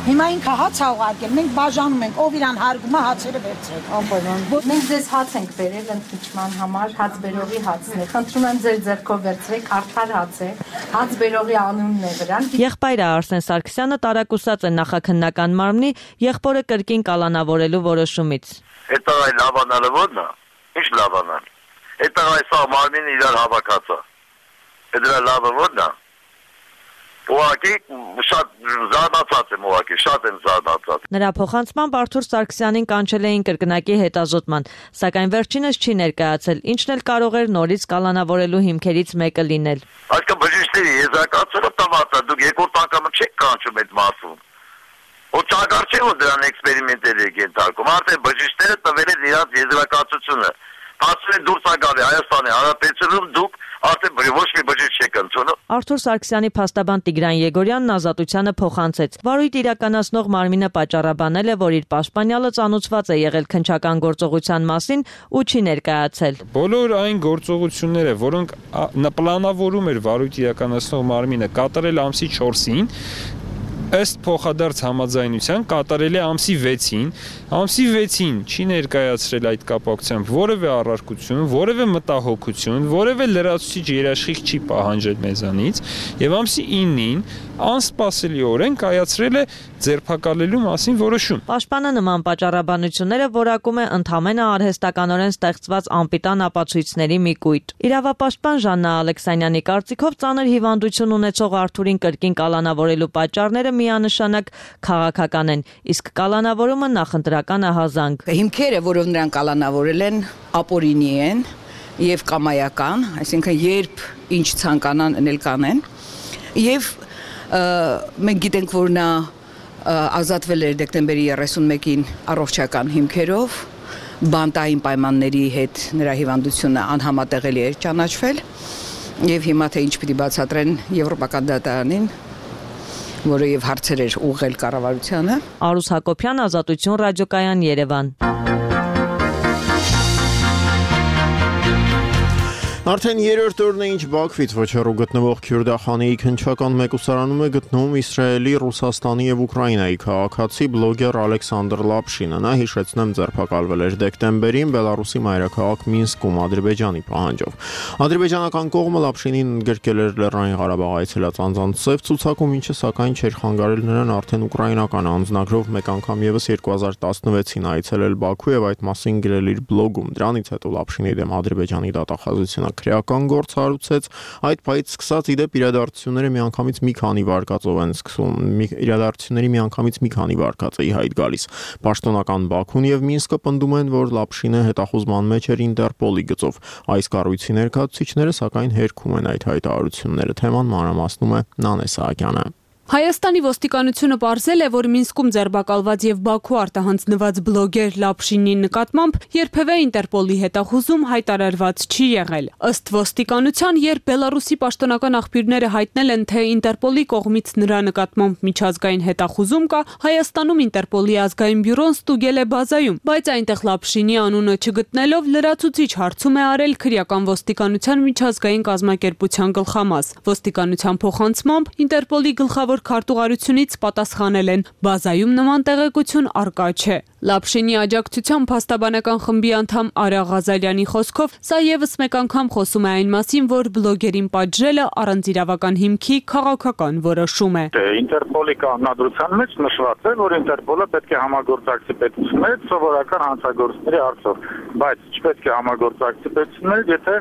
Հիմա ինքը հաց ա ուղարկել, մենք բաժանում ենք, ով իրան հարգում է հացերը վերցրեք։ Անպայման։ Մենք ձեզ հաց ենք բերել ընդմիջման համար, հաց բերողի հացն է։ Խնդրում եմ ձեր ձեռքով վերցրեք, արդար հաց է։ Հաց բերողի անունն է վրան։ Եղբայրը Արսեն Սարգսյանը տարակուսած է նախաքննական մարմնի եղբորը կրկին կալանավորելու որոշումից։ Այդ այ լավանալը ո՞րն է։ Ինչ լավանալ։ Այդ այ սա մարմինը իրար հավաքած է։ Այդ դրա լավը ո՞րն է։ Ուղղակի շատ զարմացած եմ, ուղղակի շատ եմ զարմացած։ Նրա փոխանցմամբ Արթուր Սարգսյանին կանչել էին կրկնակի հետազոտման, սակայն վերջինս չի ներկայացել, ինչն էլ կարող էր նորից կալանավորելու հիմքերից մեկը լինել։ Այսինքն բժիշկների եզրակացումը տված է, դուք երկրորդ անգամ չեք կանչում այդ մարդուն։ Ու ճագար չէ, որ դրան էքսպերիմենտներ եք ենթարկում, արդեն բժիշկները տվել են իրաց եզրակացությունը։ Ասում են դուրս ա գալի Հայաստանի Հանրապետությունում դուք արդեն ոչ մի բժիշկ չեք ընդունում։ Արթուր Սարգսյանի փաստաբան Տիգրան Եգորյանն ազատությանը փոխանցեց։ Վարույթ իրականացնող մարմինը պատճառաբանել է, որ իր պաշտպանյալը ծանոթված է եղել քննչական գործողության մասին ու չի ներկայացել։ Բոլոր այն գործողությունները, որոնք պլանավորում էր վարույթ իրականացնող մարմինը կատարել ամսի չորսին, ըստ փոխադարձ համաձայնության կատարել է ամսի վեցին, ամսի վեցին չի ներկայացրել այդ կապակցությամբ որևէ առարկություն, որևէ մտահոգություն, որևէ լրացուցիչ երաշխիք չի պահանջել մեզանից եւ ամսի իննին անսպասելիորեն կայացրել է ձերբակալելու մասին որոշում։ Պաշտպանը նման պատճառաբանությունները որակում է ընդհանրապես արհեստականորեն ստեղծված անպիտան ապացույցների մի կույտ։ Իրավապաշտպան Ժաննա Ալեքսանյանի կարծիքով ծանր հիվանդություն ունեցող Արթուրին կրկին կալանավորելու պատճառները միանշանակ քաղաքական են, իսկ կալանավորումը նախընտրական ահազանգ։ Հիմքերը, որով նրան կալանավորել են, ապօրինի են եւ կամայական, այսինքն երբ ինչ ցանկանան անել կանեն, եւ մենք գիտենք, որ նա ազատվել էր դեկտեմբերի երեսունմեկին առողջական հիմքերով, բանտային պայմանների հետ նրա հիվանդությունը անհամատեղելի էր ճանաչվել եւ հիմա թե ինչ պիտի բացատրեն Եվրոպական դատարանին, որը եւ հարցեր էր ուղղել կառավարությանը։ Արուս Հակոբյան, Ազատություն ռադիոկայան, Երևան։ Արդեն երրորդ օրն է ինչ Բաքվից ոչռու գտնվող Քյուրդախանեի քննչական մեկուսարանում է գտնվում Իսրայելի, Ռուսաստանի եւ Ուկրաինայի քաղաքացի բլոգեր Ալեքսանդր Լապշինը։ Նա հիշեցնեմ ձերբակալվել էր դեկտեմբերին Բելարուսի մայրաքաղաք Մինսկում Ադրբեջանի պահանջով։ Ադրբեջանական կողմը Լապշինին ընդգրկել էր Լեռնային Ղարաբաղ այցելած անձանց ծև ցուցակում, ինչը սակայն չէր խանգարել նրան արդեն ուկրաինական անձնագրով մեկ անգամ եւս երկու հազար տասնվեցին այցելել Բաքու եւ այդ մասին գրել իր բլոգում։ Դրանից հետո Լապշինի դեմ Ադրբեջանի դատախազությունը քրեական գործ հարուցեց, այդ պահից սկսած իդեպ իրադարձությունները միանգամից մի քանի վարկածով են սկսում, իրադարձությունների միանգամից մի քանի վարկած է ի հայտ գալիս։ Պաշտոնական Բաքուն եւ Մինսկը պնդում են, որ Լապշինը հետախուզման մեջ էր Ինտերպոլի գծով։ Այս կառույցի ներկայացուցիչները սակայն հերքում են այդ հայտարարությունները։ Թեման մանրամասնում է Նանե Սահակյանը։ Հայաստանի ոստիկանությունը պարզել է, որ Մինսկում ձերբակալված եւ Բաքու արտահանձնված բլոգեր Լապշինի նկատմամբ երբևէ Ինտերպոլի հետախուզում հայտարարված չի եղել։ Ըստ ոստիկանության, երբ Բելարուսի պաշտոնական աղբյուրները հայտնել են, թե Ինտերպոլի կողմից նրա նկատմամբ միջազգային հետախուզում կա, Հայաստանում Ինտերպոլի ազգային բյուրոն ստուգել է բազայում, բայց այնտեղ Լապշինի անունը չգտնելով լրացուցիչ հարցում է արել քրեական ոստիկանության միջազգային կազմակերպության գլխամաս։ Ոստիկանության փոխանցմամբ Ինտերպոլի գլխավոր քարտուղարությունից պատասխանել են, բազայում նման տեղեկություն առկա չէ։ Լապշինի աջակցության փաստաբանական խմբի անդամ Արա Ղազարյանի խոսքով, սա եւս մեկ անգամ խոսում է այն մասին, որ բլոգերին պատժելը առանց իրավական հիմքի քաղաքական որոշում է։ Ինտերպոլի կանոնադրության մեջ նշված է, որ Ինտերպոլը պետք է համագործակցի պետությունների հետ սովորական հանցագործների հարցով, բայց չպետք է համագործակցի պետությունների, եթե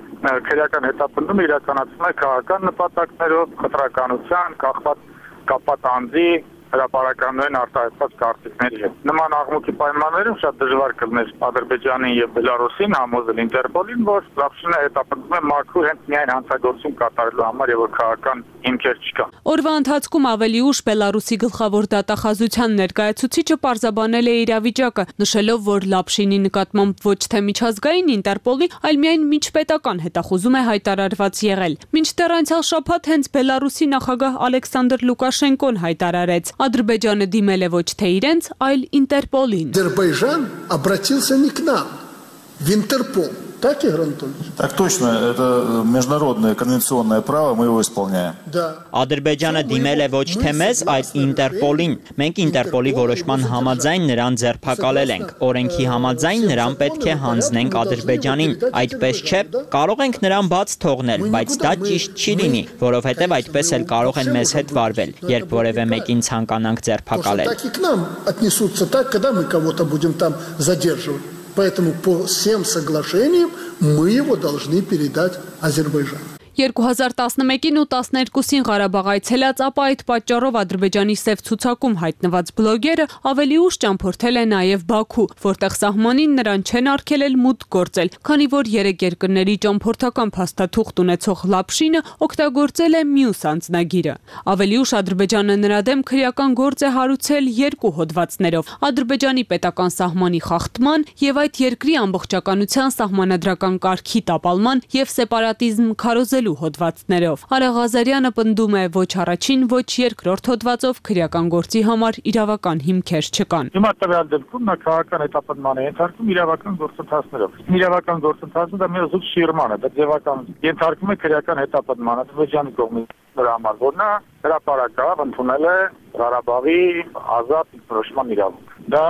քրեական հետապնդումը իրականացվում է քաղաքական նպատակներով, խտրականության, կախված կապած անձի հրապարականային արտահայտված կարծիքների հետ։ Նման աղմուկի պայմաններում շատ դժվար կլներ Ադրբեջանին եւ Բելարուսին համոզել Ինտերպոլին, որ Լապշինը հետապնդում է մաքուր հենց միայն հանցագործություն կատարելու համար եւ որ քաղաքական հիմքեր չկան։ Օրվա ընթացքում ավելի ուշ Բելարուսի գլխավոր դատախազության ներկայացուցիչը պարզաբանել է իրավիճակը, նշելով, որ Լապշինի նկատմամբ ոչ թե միջազգային Ինտերպոլի, այլ միայն միջպետական հետախուզում է հայտարարված եղել։ Մինչդեռ անցյալ շաբաթ հենց Բելարուսի նախագահ Ալեքսանդր Լուկաշենկոն հայտարարեց, Ադրբեջանը դիմել է ոչ թե իրենց, այլ Ինտերպոլին։ Ադրբեջան обратился не к нам, в Интерпол. Так, Игорь Анатольевич? Так точно, это международное конвенционное право, мы его исполняем. Ադրբեջանը դիմել է ոչ թե մեզ, այլ Ինտերպոլին։ Մենք Ինտերպոլի որոշման համաձայն նրան ձերբակալել ենք։ Օրենքի համաձայն նրան պետք է հանձնենք Ադրբեջանին։ Այդպես չէ, կարող ենք նրան բաց թողնել, բայց դա ճիշտ չի լինի, որովհետև այդպես էլ կարող են մեզ հետ վարվել, երբ որևէ մեկին ցանկանանք ձերբակալել։ Так и к нам отнесутся так, когда мы кого-то будем там задерживать. Поэтому по всем соглашениям мы его должны передать Азербайджану. երկու հազար տասնմեկին ու տասներկուսին Ղարաբաղ այցելած, ապա այդ պատճառով Ադրբեջանի սև ցուցակում հայտնված բլոգերը ավելի ուշ ճամփորդել է նաև Բաքու, որտեղ սահմանին նրան չեն արգելել մուտք գործել, քանի որ երեք երկրների ճամփորդական փաստաթուղթ ունեցող Լապշինը օգտագործել է մյուս անձնագիրը։ Ավելի ուշ Ադրբեջանը նրա դեմ քրեական գործ է հարուցել երկու հոդվածներով՝ Ադրբեջանի պետական սահմանի խախտման եւ այդ երկրի ամբողջականության սահմանադրական կարգի տապալման եւ սեպարատիզմ քարոզել հոդվածներով։ Արա Ղազարյանը պնդում է, ոչ առաջին, ոչ երկրորդ հոդվածով քրեական գործի համար իրավական հիմքեր չկան։ Հիմա տվյալ դեպքում նա քաղաքական հետապնդման է ենթարկում իրավական գործընթացներով։ Իրավական գործընթացը դա մի զուտ շիրման է, դա ձևական ենթարկում է քրեական հետապնդման Ադրբեջանի կողմից նրա համար, որ նա հրապարակավ ընդունել է Ղարաբաղի ազատ ինքնորոշման իրավունք։ Դա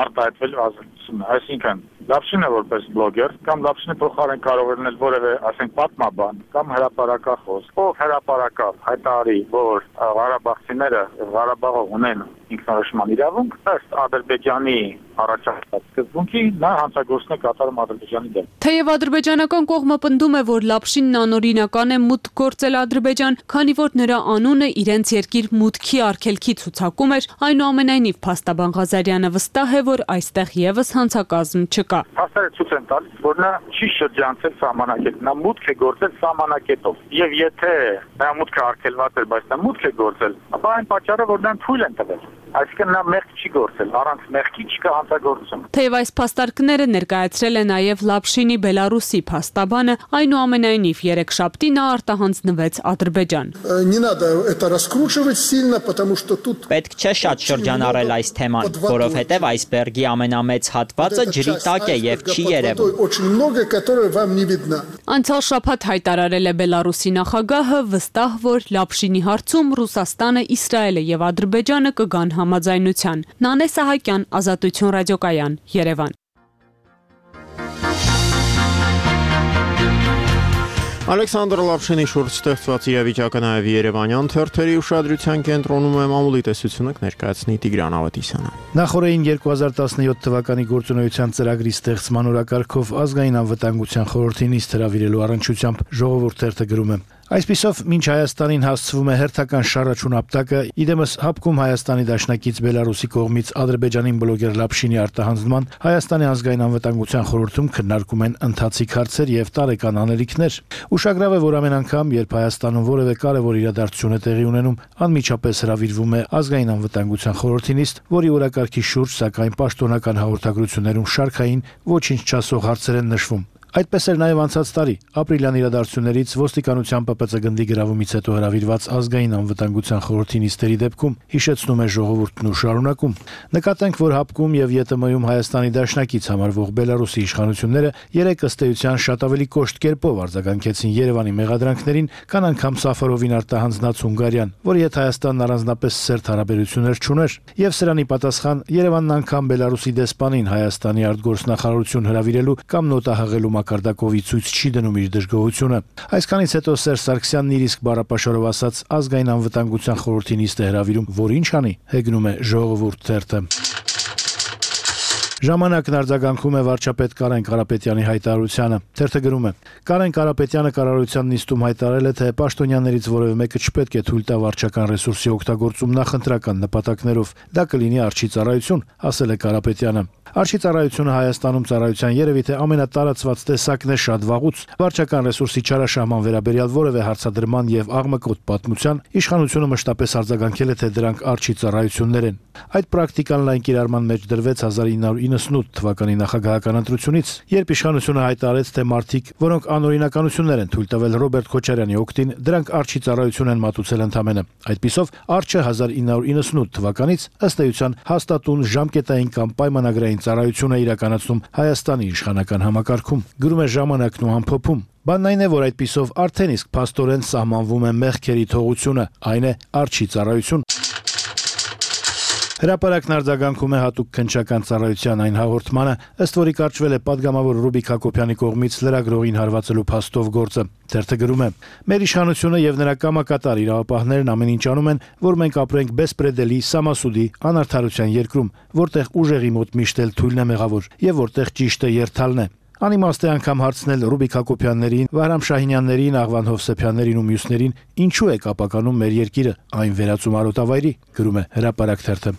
արտահայտվելու ազատություն է, այսինքն Լապշինը որպես բլոգեր կամ Լապշինի փոխարեն կարող է լինել որևէ, ասենք, պատմաբան կամ հրապարակախոս, ով հրապարակավ հայտարարի, որ Ղարաբաղցիները Ղարաբաղը ունեն ինքնորոշման իրավունք, ըստ Ադրբեջանի առաջարկած սկզբունքի նա հանցագործություն է կատարում Ադրբեջանի դեմ։ Թեև ադրբեջանական կողմը պնդում է, որ Լապշինն անօրինական է մուտք գործել Ադրբեջան, քանի որ նրա անունը իրենց երկիր մուտքի արգելքի ցուցակում էր, այնուամենայնիվ փաստաբան Ղազարյանը վստահ է, որ այստեղ եւս հանցակազմ չկա։ Փաստերը ցույց են տալիս, որ նա չի շրջանցել սահմանակետ, նա մուտք է գործել սահմանակետով։ Եվ եթե նա մուտքը արգելված էր, բայց նա մուտք է գործել, ապա այն պատճառը, որ նրան թույլ են տվել։ Այսինքն նա մեղք չի գործել, առանց մեղքի չկա հանցագործություն։ Թեև այս փաստարկները ներկայացրել է նաև Լապշինի Բելարուսի փաստաբանը, այնուամենայնիվ երեքշաբթի նա արտահանձնվեց Ադրբեջան։ Не надо это раскручивать сильно, потому что тут Պետք չէ շատ շրջանառել այս թեման, որովհետև այսբերգի ամենամեծ հատվածը ջրի տակ է եւ չի երևում։ Очень много, которое вам не видно. Անցյալ շաբաթ հայտարարել է Բելարուսի նախագահը վստահ, որ Լապշինի հարցում Ռուսաստանը, Իսրայելը եւ Ադրբեջանը կգան համաձայնության։ Նանե Սահակյան, Ազատություն ռադիոկայան, Երևան։ Ալեքսանդր Լապշինի շուրջ ստեղծված իրավիճակը նաև Երևանյան թերթերի ուշադրության կենտրոնում է մամուլի տեսությունը կներկայացնի Տիգրան Ավետիսյանը։ Նախորդին երկու հազար տասնյոթ թվականի գործունեության ծրագրի ստեղծման օրակարգով ազգային անվտանգության խորհրդի նիստ հրավիրելու առնչությամբ Ժողովուրդ թերթը գրում է. Այսպիսով, մինչ Հայաստանին հասցվում է հերթական շարաչուն ապտակը, իդեմս հապկում Հայաստանի դաշնակից Բելարուսի կողմից Ադրբեջանին բլոգեր Լապշինի արտահանձնման, Հայաստանի ազգային անվտանգության խորհրդում քննարկում են ընթացիկ հարցեր եւ տարեկան անելիքներ։ Ուշագրավ է, որ ամեն անգամ, երբ Հայաստանում որևէ կարևոր իրադարձություն է տեղի ունենում, անմիջապես հրավիրվում է ազգային անվտանգության խորհրդի նիստ, որի օրակարգի շուրջ սակայն պաշտոնական հաղորդագրություններում շարքային ոչինչ չասող հարցեր են նշվում։ Այդպես էր նաև անցած տարի, ապրիլյան իրադարձություններից ոստիկանության ՊՊՑ գնդի գրավումից հետո հրավիրված ազգային անվտանգության խորհրդի նիստերի դեպքում, հիշեցնում է Ժողովուրդն ու շարունակում։ Նկատենք, որ հապկում եւ ԵՏՄ-ում Հայաստանի դաշնակից համարվող Բելարուսի իշխանությունները երեք ըստ էության շատ ավելի կոշտ կերպով արձագանքեցին Երևանի մեղադրանքներին, քան անգամ Սաֆարովին արտահանձնած Հունգարիան, որի հետ Հայաստանն առանձնապես սերտ հարաբերություններ չուներ, եւ սրանի պատասխան Երևանն անգամ Բելարուսի դեսպանին Հայաստանի արտգործնախարարություն հրավիրելու կամ նոտահղելու Կարտակովի ցույց չի դնում իր դժգոհությունը։ Այսքանից հետո Սերժ Սարգսյանն իր իսկ բառապաշարով ասաց ազգային անվտանգության խորհրդի նիստ է հրավիրում, որ ինչ անի, հեգնում է Ժողովուրդ թերթը։ Ժամանակն արձագանքում է վարչապետ Կարեն Կարապետյանի հայտարարությանը։ Թերթը գրում է. Կարեն Կարապետյանը կառավարության նիստում հայտարարել է, թե պաշտոնյաներից որևէ մեկը չպետք է թույլ տա վարչական ռեսուրսի օգտագործում նախընտրական նպատակներով։ Դա կլինի արջի ծառայություն, ասել է Կարապետյանը։ Արջի ծառայությունը Հայաստանում ծառայության երևի թե ամենատարածված տեսակն է շատ վաղուց։ Վարչական ռեսուրսի չարաշահման վերաբերյալ որևէ հարցադրման եւ աղմկոտ պատմության իշխանությունը մշտապես արձագանքել է, թե դրանք արջի ծառայություններ են։ Այդ պրակտիկան լայն կիրառման մեջ դրվեց հազար ինը հարյուր իննսունութ թվականի նախագահական ընտրությունից, երբ իշխանությունը հայտարարեց, թե մարդիկ, որոնք անօրինականություններ են թույլ տվել Ռոբերտ Քոչարյանի օգտին, դրանք արջի ծառայություն են մատուցել ընդամենը։ Այդպիսով արջը հազար ինը հարյուր իննսունութ թվականից ըստ էության հաստատուն ժամկետային կամ պայմանագրային ծառայություն է իրականացնում Հայաստանի իշխանական համակարգում։ Գրում է Ժամանակն ու ամփոփում։ Բանն այն է, որ այդպիսով արդեն իսկ փաստորեն սահմանվում է մեղքերի թողությունը, այն է արջի ծառայություն։ Հրապարակն արձագանքում է հատուկ քննչական ծառայության այն հաղորդմանը, ըստ որի կարճվել է падգամավոր Ռուբիկ Հակոբյանի կողմից լրագրողին հարվածելու փաստով գործը։ Թերթը գրում է. Մեր իշխանությունը եւ նրա կամակատար իրավապահներն ամեն ինչ անում են, որ մենք ապրենք բեսպրեդելի, սամասուդի, անարդարության երկրում, որտեղ ուժեղի մոտ միշտ էլ թույլն է մեղավոր եւ որտեղ ճիշտը երթալն է։ Անիմաստ է անգամ հարցնել Ռուբիկ Հակոբյաններին, Վահրամ Շահինյաններին, Աղվան Հովսեփյաններին ու մյուսներին, ինչու է կապականում մեր երկիրը այն վերածում արոտավայրի, գրում է Հրապարակ թերթը։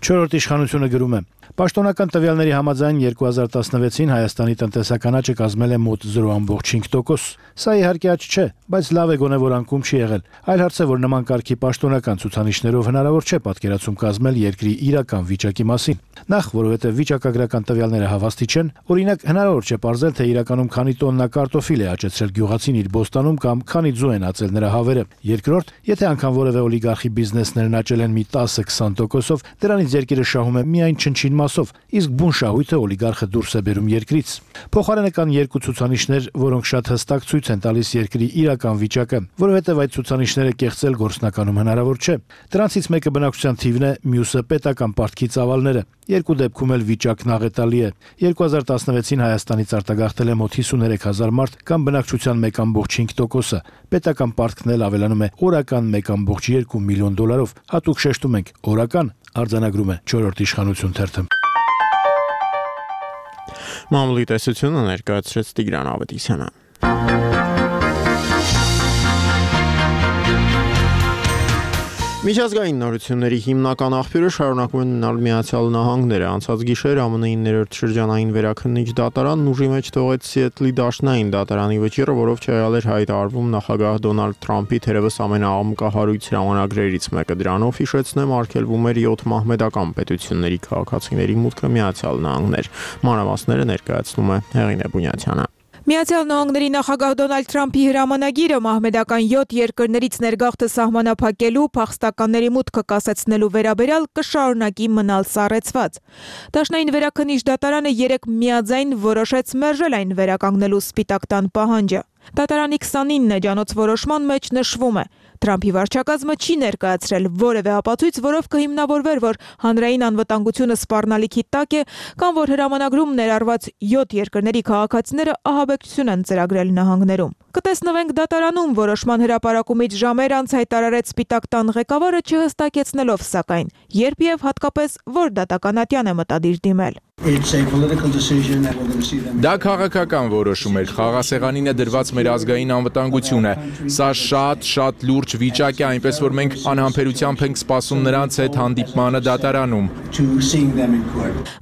Չորրորդ իշխանությունը գրում է. Պաշտոնական տվյալների համաձայն երկու հազար տասնվեցին Հայաստանի տնտեսական աճը կազմել է մոտ զրո ամբողջ հինգ տոկոս։ Սա իհարկե աճ չէ, բայց լավ է գոնե որ անկում չի եղել։ Այլ հարց է, որ նման կարգի պաշտոնական ցուցանիշներով հնարավոր չէ պատկերացում կազմել երկրի իրական վիճակի մասին։ Նախ, որովհետև վիճակագրական տվյալները հավաստի չեն, օրինակ հնարավոր չէ ողջել, թե իրականում քանի տոննա կարտոֆիլ է աճեցրել գյուղացին իր բոստանում կամ քանի ձու են ածել նրա հավերը։ Երկրորդ, եթե անգամ որևէ օլիգարխի բիզնեսներն աճել են մի տասը-քսան տոկոսով, դրանից երկիրը շահում է միայն չնչին մասով, իսկ բուն շահույթը օլիգարխը դուրս է բերում երկրից։ Փոխարենը կան երկու ցուցանիշներ, որոնք շատ հստակ ցույց են տալիս երկրի իրական վիճակը, որովհետև այդ ցուցանիշները կեղծել գործնականում հնարավոր չէ։ Դրանցից մեկը բնակչության թիվն է, մյուսը պետական պարտքի ծավալները։ Երկու դեպքում էլ վիճակն աղետալի է։ երկու հազար տասնվեցին Հայաստանից արտագաղթել է մոտ հիսուներեք հազար մարդ կամ բնակչության մեկ ամբողջ հինգ տոկոսը։ Պետական պարտքն էլ ավելանում է օրական մեկ ամբողջ երկու միլիոն դոլարով։ Հատուկ շեշտում ենք՝ օրական, արձանագրում է չորրորդ իշխանություն թերթը։ Մամուլի տեսությունը ներկայացրեց Տիգրան Ավետիսյանը։ Միջազգային նորությունների հիմնական աղբյուրը շարունակում են մնալ Միացյալ Նահանգները։ Անցած գիշեր ԱՄՆ-ի ներերտ շրջանային վերաքննիչ դատարանն ուժի մեջ թողեց Սիեթլի դաշնային դատարանի վճիռը, որով չեղել էր հայտարարվում նախագահ Դոնալդ Թրամփի թերևս ամենաամկահարույց հրամանագրերից մեկը։ Դրանով, հիշեցնեմ, արգելվում էր յոթ մահմեդական պետությունների քաղաքացիների մուտքը Միացյալ Նահանգներ։ Մանրամասները ներկայացնում է Հեղինե Բունյացյանը։ Միացյալ Նահանգների նախագահ Դոնալդ Թրամփի հրամանագիրը մահմեդական յոթ երկրներից ներգաղթը սահմանափակելու, փախստականների մուտքը կասեցնելու վերաբերյալ կշարունակի մնալ սառեցված։ Դաշնային վերաքննիչ դատարանը երեկ միաձայն որոշեց մերժել այն վերականգնելու Սպիտակ տան պահանջը։ Դատարանի քսանինը էջանոց որոշման մեջ նշվում է. Թրամփի վարչակազմը չի ներկայացրել որևէ ապացույց, որով կհիմնավորվեր, որ հանրային անվտանգությունը սպառնալիքի տակ է, կամ որ հրամանագրում ներառված յոթ երկրների քաղաքացիները ահաբեկչություն են ծրագրել նահանգներում։ Կտեսնվենք դատարանում, որոշման հրապարակումից ժամեր անց հայտարարեց Սպիտակ տան ղեկավարը, չհստակեցնելով սակայն, երբ եւ հատկապես որ դատականատյան է մտադիր դիմել։ Դա քաղաքական որոշում էր, խաղաղասեղանին է դրված մեր ազգային անվտանգությունը։ Սա շատ, շատ լուրջ վիճակ է, այնպես որ մենք անհամբերությամբ ենք սպասում նրանց հետ հանդիպմանը դատարանում։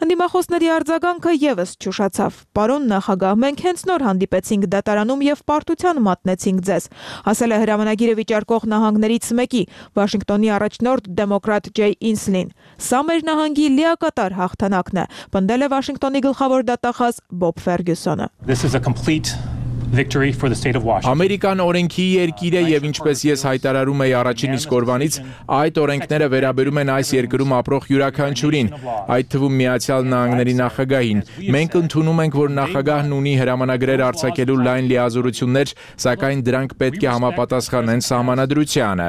Ընդդիմախոսների արձագանքը եւս չուշացավ։ Պարոն նախագահ, մենք հենց նոր հանդիպեցինք դատարանում եւ պարտության մատնեցինք ձեզ, ասել է հրամանագիրը վիճարկող նահանգներից մեկի, Վաշինգտոնի առաջնորդ դեմոկրատ Ջեյ Ինսլին։ Սա մեր նահանգի լիակատար հաղթանակն է, պնդել է Վաշինգտոնի գլխավոր դատախազ Բոբ Ֆերգյուսոնը։ Ամերիկան օրենքի երկիր է եւ ինչպես ես հայտարարում եի առաջին իսկ օրվանից, այդ օրենքները վերաբերում են այս երկրում ապրող յուրաքանչյուրին, այդ թվում Միացյալ Նահանգների նախագահին։ Մենք ընդունում ենք, որ նախագահն ունի հրամանագրեր արձակելու լայն լիազորություններ, սակայն դրանք պետք է համապատասխանեն սահմանադրությանը։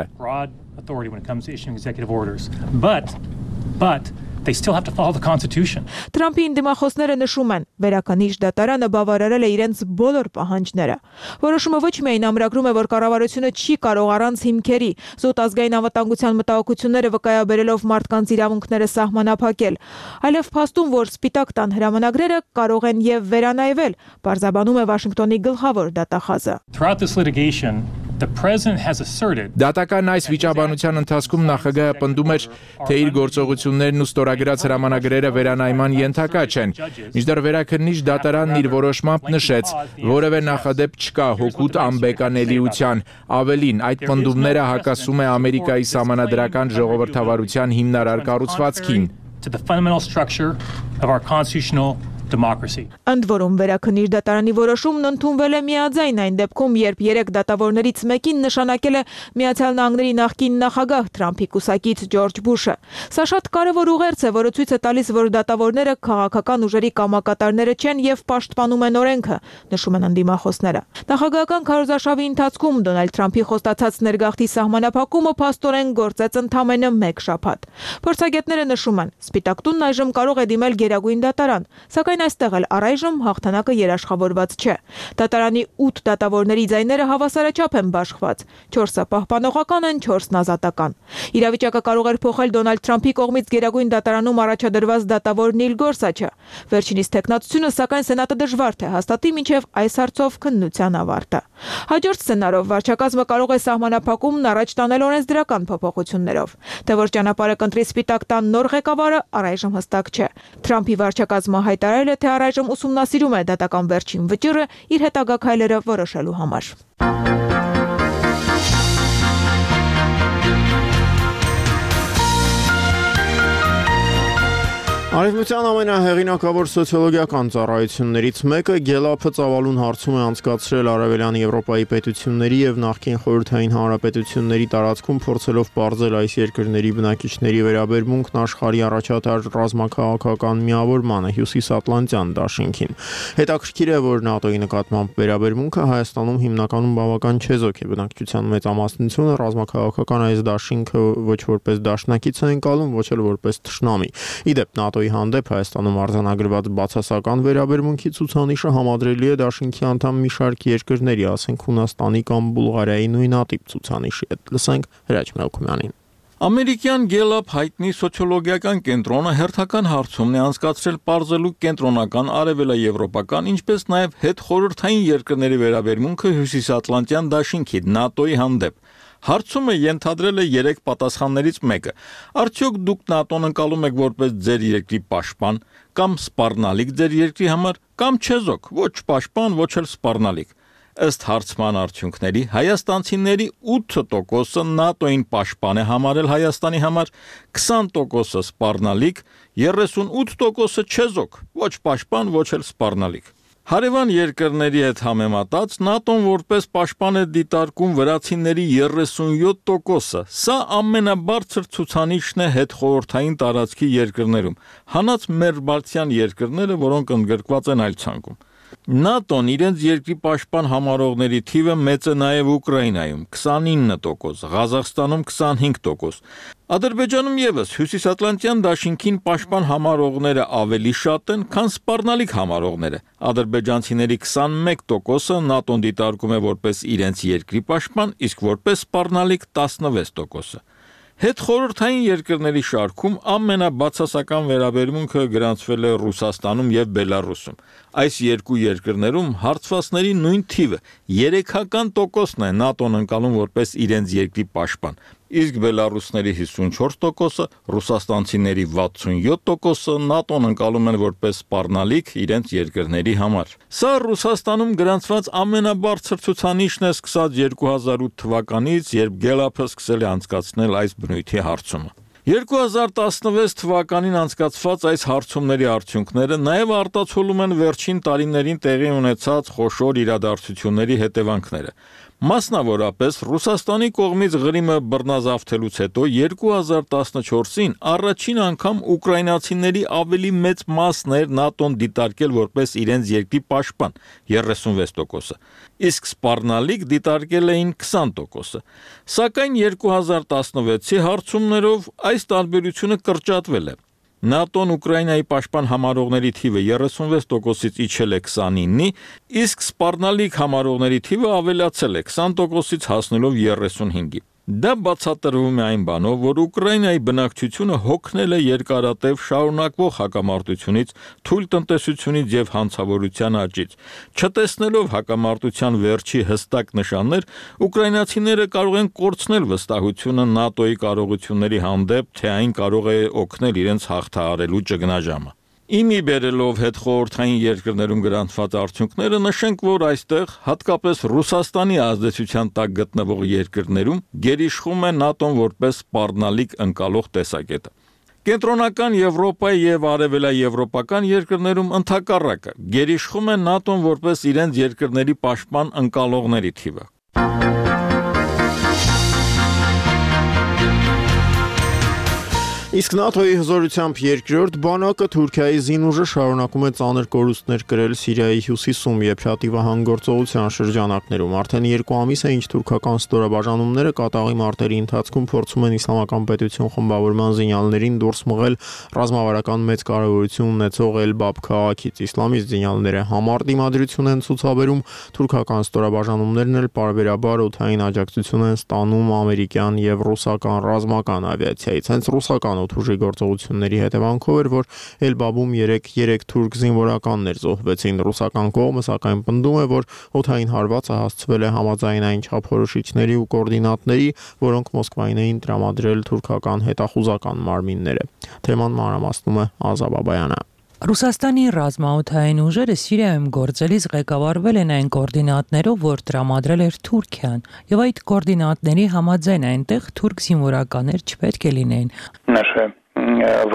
But they still have to follow the Constitution. Թրամփի ընդդիմախոսները նշում են, վերականիշ դատարանը բավարարել է իրենց բոլոր պահանջները։ Որոշումը ոչ միայն ամրագրում է, որ կառավարությունը չի կարող առանց հիմքերի զուտ ազգային անվտանգության մտահոգությունները վկայաբերելով մարդկանց իրավունքները սահմանափակել, այլև փաստում, որ Սպիտակ տան հրամանագրերը կարող են եւ վերանայվել, բարձաբանում է Վաշինգտոնի գլխավոր դատախազը։ Throughout this litigation, the president has asserted Դատական այս վիճաբանության ընթացքում նախագահը պնդում էր, թե իր գործողություններն ու ստորագրած հրամանագրերը վերանայման ենթակա չեն։ Մինչդեռ վերաքննիչ դատարանն իր որոշմամբ նշեց, որևէ նախադեպ չկա հօգուտ անբեկանելիության։ Ավելին, այդ պնդումները հակասում է Ամերիկայի սահմանադրական ժողովրդավարության հիմնարար կառուցվածքին։ to the fundamental structure of our constitutional democracy. Ընդ որում վերաքննիչ դատարանի որոշումն ընդունվել է միաձայն այն դեպքում, երբ երեք դատավորներից մեկին նշանակել է Միացյալ Նահանգների նախկին նախագահ Թրամփի կուսակից Ջորջ Բուշը։ Սա շատ կարևոր ուղերձ է, որը ցույց է տալիս, որ դատավորները քաղաքական ուժերի կամակատարները չեն եւ պաշտպանում են օրենքը, նշում են ընդդիմախոսները։ Նախագահական քարոզարշավի ընթացքում Դոնալդ Թրամփի խոստացած ներգաղթի սահմանափակումը փաստորեն գործեց ընդամենը մեկ շաբաթ։ Փորձագետները նշում են, Սպիտակ տունն այժմ կարող է դիմել Գերագույն դատարան, սակայն այստեղ էլ առայժմ հաղթանակը երաշխավորված չէ։ Դատարանի ութ դատավորների ձայները հավասարաչափ են բաշխված, չորսը պահպանողական են, չորսն ազատական։ Իրավիճակը կարող էր փոխել Դոնալդ Թրամփի կողմից Գերագույն դատարանում առաջադրված դատավոր Նիլ Գորսաչը։ Վերջինիս տեխնատությունը, սակայն Սենատը դժվար թե հաստատի մինչև այս հարցով քննության ավարտը։ Հաջորդ սցենարով վարչակազմը կարող է սահմանափակումն առաջ տանել օրենսդրական փոփոխություններով։ Թե որ ճանապարհը կընտրի Սպիտակ տան նոր ղեկավարը առայժմ հստակ չէ։ Թրամփի վարչակազմը հայտարարել է, թե առայժմ ուսումնասիրում է դատական վերջին վճիռը իր հետագա քայլերը որոշելու համար։ Արևմտյան ամենահեղինակավոր սոցիոլոգիական ծառայություններից մեկը Գելափը ծավալուն հարցում է անցկացրել Արևելյան Եվրոպայի պետությունների եւ նախկին խորհրդային հանրապետությունների տարածքում փորձելով բարձել այս երկրների բնակիչների վերաբերմունքն աշխարհի առաջատար ռազմաքաղաքական միավորմանը Հյուսիսատլանտյան դաշինքին։ Հետաքրքիր է, որ ՆԱՏՕ-ի նկատմամբ վերաբերմունքը Հայաստանում հիմնականում բավական չեզոք է, բնակչության մեծամասնությունը ռազմաքաղաքական այս դաշինքը ոչ որպես դաշնակից է ընկալում, ոչ էլ որպես թշնամի։ Իդեպ ՆԱՏՕ հանդեպ Հայաստանում արձանագրված բացասական վերաբերմունքի ցուցանիշը համադրելի է դաշինքի անդամ մի շարք երկրների, ասենք Հունաստանի կամ Բուլղարիայի նույնատիպ ցուցանիշի հետ։ Լսենք Հրաչ Մելքումյանին։ Ամերիկյան Գելափ հայտնի սոցիոլոգիական կենտրոնը հերթական հարցումն է անցկացրել պարզելու կենտրոնական արևելաեվրոպական, ինչպես նաև հետխորհրդային երկրների վերաբերմունքը Հյուսիսատլանտյան դաշինքի ՆԱՏՕ-ի հանդեպ։ Հարցումը ենթադրել է երեք պատասխաններից մեկը։ Արդյոք դուք ՆԱՏՕ-ն ընկալում եք որպես ձեր երկրի պաշտպան կամ սպառնալիք ձեր երկրի համար, կամ չեզոք, ոչ պաշտպան, ոչ էլ սպառնալիք։ Ըստ հարցման արդյունքների հայաստանցիների ութ տոկոսը ՆԱՏՕ-ին պաշտպան է համարել Հայաստանի համար, քսան տոկոսը սպառնալիք, երեսունութ տոկոսը չեզոք, ոչ պաշտպան, ոչ էլ սպառնալիք։ Հարևան երկրների հետ համեմատած ՆԱՏՕ-ն որպես պաշտպան է դիտարկում վրացիների երեսունյոթ տոկոսը։ Սա ամենաբարձր ցուցանիշն է հետխորհրդային տարածքի երկրներում, հանած մեր բալթյան երկրները, որոնք ընդգրկված են այլ ցանկում։ ՆԱՏՕ-ն իրենց երկրի պաշտպան համարողների թիվը մեծ է նաև Ուկրաինայում՝ քսանինը տոկոս, Ղազախստանում քսանհինգ տոկոս։ Ադրբեջանում եւս Հյուսիսատլանտյան դաշինքին պաշտպան համարողները ավելի շատ են, քան սպառնալիք համարողները։ Ադրբեջանցիների քսանմեկ տոկոսը ՆԱՏՕ-ն դիտարկում է որպես իրենց երկրի պաշտպան, իսկ որպես սպառնալիք տասնվեց տոկոսը։ Հետխորհրդային երկրների շարքում ամենաբացասական վերաբերմունքը գրանցվել է Ռուսաստանում եւ Բելարուսում։ Այս երկու երկրներում հարցվածների նույն թիվը երեքական տոկոսն է ՆԱՏՕ-ն ընկալում որպես իրենց երկրի պաշտպան, իսկ բելարուսների հիսունչորս տոկոսը, ռուսաստանցիների վաթսունյոթ տոկոսը ՆԱՏՕ-ն ընկալում են որպես սպառնալիք իրենց երկրների համար։ Սա Ռուսաստանում գրանցված ամենաբարձր ցուցանիշն է սկսած երկու հազար ութ թվականից, երբ Գելափը սկսել է անցկացնել այս բնույթի հարցումը։ երկու հազար տասնվեց թվականին անցկացված այս հարցումների արդյունքները նաև արտացոլում են վերջին տարիներին տեղի ունեցած խոշոր իրադարձությունների հետևանքները։ Մասնավորապես Ռուսաստանի կողմից Ղրիմը բռնազավթելուց հետո երկու հազար տասնչորսին առաջին անգամ ուկրաինացիների ավելի մեծ մասն էր ՆԱՏՕ-ն դիտարկել որպես իրենց երկրի պաշտպան՝ երեսունվեց տոկոսը, իսկ սպառնալիք դիտարկել էին քսան տոկոսը։ Սակայն երկու հազար տասնվեցի հարցումներով այս տարբերությունը կրճատվել է։ ՆԱՏՕ-ն Ուկրաինայի պաշտպան համարողների թիվը երեսունվեց տոկոսից իջել է քսանինի, իսկ սպառնալիք համարողների թիվը ավելացել է քսան տոկոսից հասնելով երեսունհինգի։ Դա բացատրվում է այն բանով, որ Ուկրաինայի բնակչությունը հոգնել է երկարատև շարունակվող հակամարտությունից, թույլ տնտեսությունից եւ հանցավորության աճից։ Չտեսնելով հակամարտության վերջի հստակ նշաններ, ուկրաինացիները կարող են կորցնել վստահությունը ՆԱՏՕ-ի կարողությունների հանդեպ, թե այն կարող է օգնել իրենց հաղթահարելու ճգնաժամը։ Իմի բերելով հետխորհրդային երկրներում գրանցված արդյունքները նշենք, որ այստեղ, հատկապես Ռուսաստանի ազդեցության տակ գտնվող երկրներում, գերիշխում է ՆԱՏՕ-ն որպես սպառնալիք ընկալող տեսակետը։ Կենտրոնական Եվրոպայի եւ արևելաեվրոպական երկրներում ընդհակառակը գերիշխում է ՆԱՏՕ-ն որպես իրենց երկրների պաշտպան ընկալողների թիվը։ Իսկ ՆԱՏՕ-ի հզորությամբ երկրորդ բանակը Թուրքիայի զինուժը շարունակում է ծանր կորուստներ կրել Սիրիայի հյուսիսում Եփրատի վահան-գործողության շրջանակներում։ Արդեն երկու ամիս է, ինչ թուրքական ստորաբաժանումները կատաղի մարտերի ընթացքում փորձում են իսլամական պետություն խմբավորման զինյալներին դուրս մղել ռազմավարական մեծ կարևորություն ունեցող Էլբաբ քաղաքից։ Իսլամիստ զինյալները համառ դիմադրություն են ցուցաբերում, թուրքական ստորաբաժանումներն էլ պարբերաբար օդային աջակցություն են ստանում ամերիկյան եւ ռուսական ռազմական ավիացիայից։ Հենց ռուսական օդուժի գործողությունների հետևանքով էր, որ Էլբաբում երեք թուրք զինվորականներ զոհվեցին։ Ռուսական կողմը սակայն պնդում է, որ օդային հարվածը հասցվել է համաձայնային չափորոշիչների ու կոորդինատների, որոնք Մոսկվային էին տրամադրել թուրքական հետախուզական մարմինները։ Թեման մանրամասնում է Ազա Բաբայանը։ Ռուսաստանի ռազմաօդային ուժերը Սիրիայում գործելիս ղեկավարվել են այն կոորդինատներով, որ տրամադրել էր Թուրքիան, եւ այդ կոորդինատների համաձայն այնտեղ թուրք զինվորականներ չպետք է լինեին։ Наши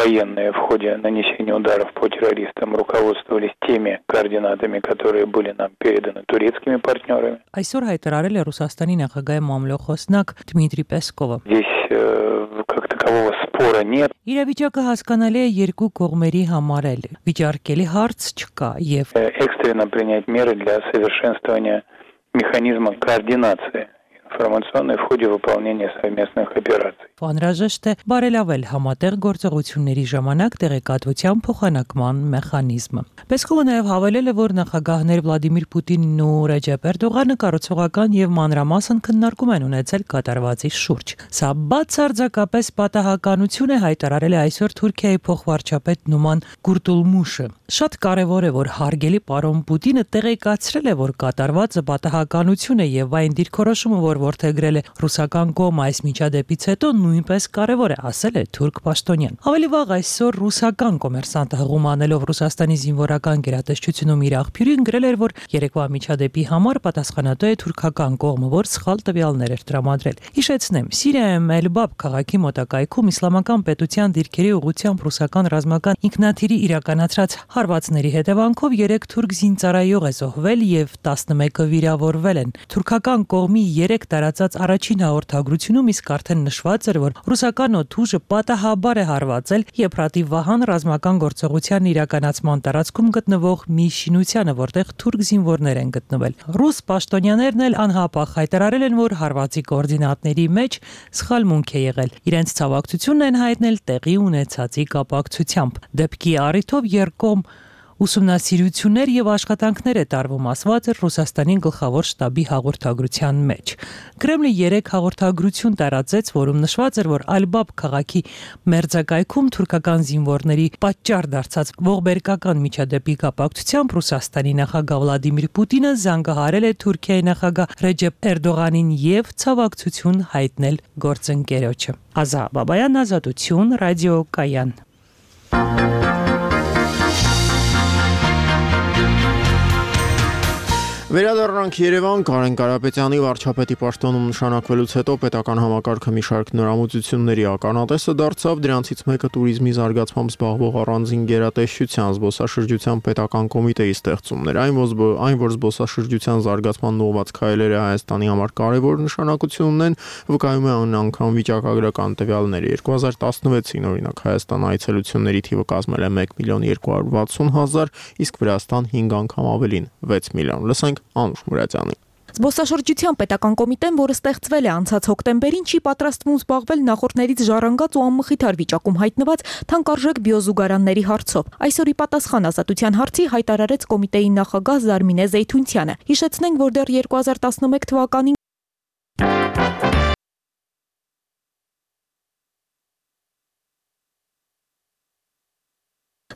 военные в ходе нанесения ударов по террористам руководствовались теми координатами, которые были нам переданы турецкими партнерами. Այսօր հայտարարել է Ռուսաստանի նախագահի մամլոխոսնակ Դմիտրի Պեսկովը։ Здесь как такового спора нет. Իրավիճակը հասկանալի է երկու կողմերի համար էլ։ Վիճարկելի հարց չկա եւ экстренно принять меры для совершенствования механизма координации информационной в ходе выполнения совместных операций. Անհրաժեշտ է բարելավել համատեղ գործողությունների ժամանակ տեղեկատվության փոխանակման մեխանիզմը։ Պեսկովը նաև հավելել է, որ նախագահներ Վլադիմիր Պուտինն ու Ռեջեփ Էրդողանը կառուցողական եւ մանրամասն քննարկում են ունեցել կատարվածի շուրջ։ Սա բացարձակապես պատահականություն է, հայտարարել է այսօր Թուրքիայի փոխվարչապետ Նուման Կուրտուլմուշը։ Շատ կարևոր է, որ հարգելի պարոն Պուտինը տեղեկացրել է, որ կատարվածը պատահականություն է եւ այն դիրքորոշումը, որ ворթեգրել է ռուսական կողմը այս միջադեպից հետո նույնպես կարևոր է, ասել է թուրք պաշտոնյան։ Ավելի վաղ այսօր ռուսական կոմերսանտը հղում անելով Ռուսաստանի զինվորական գերատեսչությունում իր աղբյուրին գրել էր, որ երեկվա միջադեպի համար պատասխանատու է թուրքական կողմը, որ սխալ տվյալներ էր տրամադրել։ Հիշեցնեմ, Սիրիայում Էլբաբ քաղաքի մոտակայքում իսլամական պետության դիրքերի ուղղությամբ ռուսական ռազմական ինքնաթիռի իրականացրած հարվածների հետևանքով երեք թուրք զինծառայող է զոհվել եւ տասնմեկը վիրավորվել են։ Թուրքական կողմի երեք տարածած առաջին հաղորդագրությունում իսկ արդեն նշված էր, որ ռուսական օդուժը պատահաբար է հարվածել Եփրատի Վահան ռազմական գործողության իրականացման տարածքում գտնվող մի շինությանը, որտեղ թուրք զինվորներ են գտնվել։ Ռուս պաշտոնյաներն էլ անհապաղ հայտարարել են, որ հարվածի կոորդինատների մեջ սխալմունք է եղել։ Իրենց ցավակցությունն են հայտնել տեղի ունեցածի կապակցությամբ։ Դեպքի առիթով երկկողմ ուսումնասիրություններ եւ աշխատանքներ է տարվում, ասված է Ռուսաստանի գլխավոր շտաբի հաղորդագրության մեջ։ Կրեմլը երեք հաղորդագրություն տարածեց, որում նշված էր, որ Ալբաբ քաղաքի մերձակայքում թուրքական զինվորների պատճառ դարձած ողբերգական միջադեպի կապակցությամբ Ռուսաստանի նախագահ Վլադիմիր Պուտինը զանգահարել է Թուրքիայի նախագահ Ռեջեփ Էրդողանին եւ ցավակցություն հայտնել գործընկերոջը։ Ազա Բաբայան, Ազատություն, Ռադիո Կայան։ Վերադառնանք Երևան, Կարեն Կարապետյանի վարչապետի պաշտոնում նշանակվելուց հետո պետական համակարգը մի շարք նորամուծությունների ականատեսը դարձավ, դրանցից մեկը туриզմի զարգացմամբ զբաղվող առանձին գերատեսչության զբոսաշրջության պետական կոմիտեի ստեղծումն էր, այն, այն որ զբոսաշրջության զարգացման ուղղված քայլերը Հայաստանի համար կարևոր նշանակություն ունեն, վկայում է անգամ վիճակագրական տվյալները։ երկու հազար տասնվեցին օրինակ Հայաստան այցելությունների թիվը կազմել է մեկ միլիոն երկու հարյուր վաթսուն հազար, իսկ Վրաստան հինգ անգամ ավելին՝ վեց միլիոն։ Լսենք Անուշ Մուրադյանի։ Զբոսաշրջության պետական կոմիտեն, որը ստեղծվել է անցած հոկտեմբերին, չի պատրաստվում զբաղվել նախորդներից ժառանգած ու անմխիթար վիճակում հայտնված թանկարժեք բիոզուգարանների հարցով։ Այսօր ի պատասխան Ազատության հարցի հայտարարեց կոմիտեի նախագահ Զարմինե Զեյթունցյանը։ Հիշեցնենք, որ դեռ երկու հազար տասնմեկ թվականին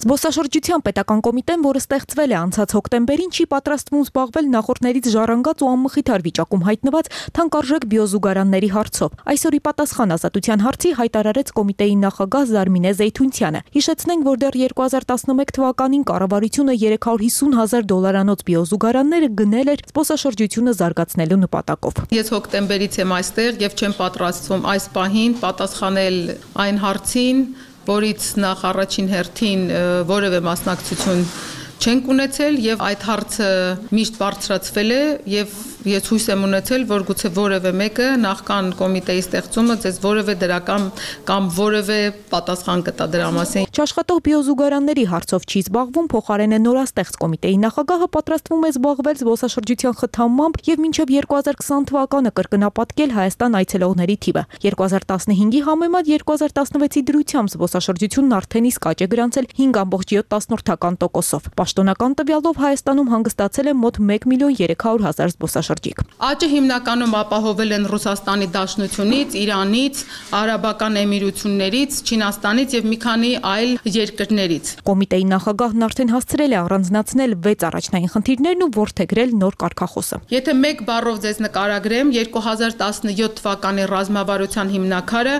Զբոսաշրջության պետական կոմիտեն, որը ստեղծվել է անցած հոկտեմբերին, չի պատրաստվում զբաղվել նախորդներից ժառանգած ու անմխիթար վիճակում հայտնված թանկարժեք բիոզուգարանների հարցով։ Այսօր ի պատասխան Ազատության հարցի հայտարարեց կոմիտեի նախագահ Զարմինե Զեյթունցյանը։ Հիշեցնենք, որ դեռ երկու հազար տասնմեկ թվականին կառավարությունը երեք հարյուր հիսուն հազար դոլարանոց բիոզուգարանները գնել էր զբոսաշրջությունը զարգացնելու նպատակով։ Ես հոկտեմբերից եմ այստեղ եւ չեմ պատրաստվում այս պահին պատասխանել այն հարցին, որից նախ առաջին հերթին որևէ մասնակցություն չենք ունեցել եւ այդ հարցը միշտ բարձրացվել է եւ ես հույս եմ ունեցել, որ գուցե որևէ մեկը նախքան կոմիտեի ստեղծումը ձեզ որևէ դրական կամ որևէ պատասխան կտա դրա մասին։ Չաշխատող բիոզուգարանների հարցով չի զբաղվում, փոխարեն է նորաստեղծ կոմիտեի նախագահը պատրաստվում է զբաղվել զբոսաշրջության խթանմամբ եւ մինչեւ երկու հազար քսան թվականը կրկնապատկել Հայաստան այցելողների թիվը։ երկու հազար տասնհինգի համեմատ երկու հազար տասնվեցի դրությամբ զբոսաշրջությունն արդեն իսկ աճ է գրանցել հինգ կoma յոթ տոկոսով։ Պաշտոնական տվյալով Հայաստանում հանգստացել է մոտ մեկ միլիոն երեք հարյուր հազար զբոսաշրջիկ։ Աճը հիմնականում ապահովել են Ռուսաստանի Դաշնությունից, Իրանից, Արաբական Էմիրություններից, Չինաստանից եւ մի քանի այլ երկրներից։ Կոմիտեի նախագահն արդեն հասցրել է առանձնացնել վեց առաջնային խնդիրներն ու որդեգրել նոր կարգախոսը։ Եթե մեկ բառով ձեզ նկարագրեմ, երկու հազար տասնյոթ թվականի ռազմավարության հիմնաքարը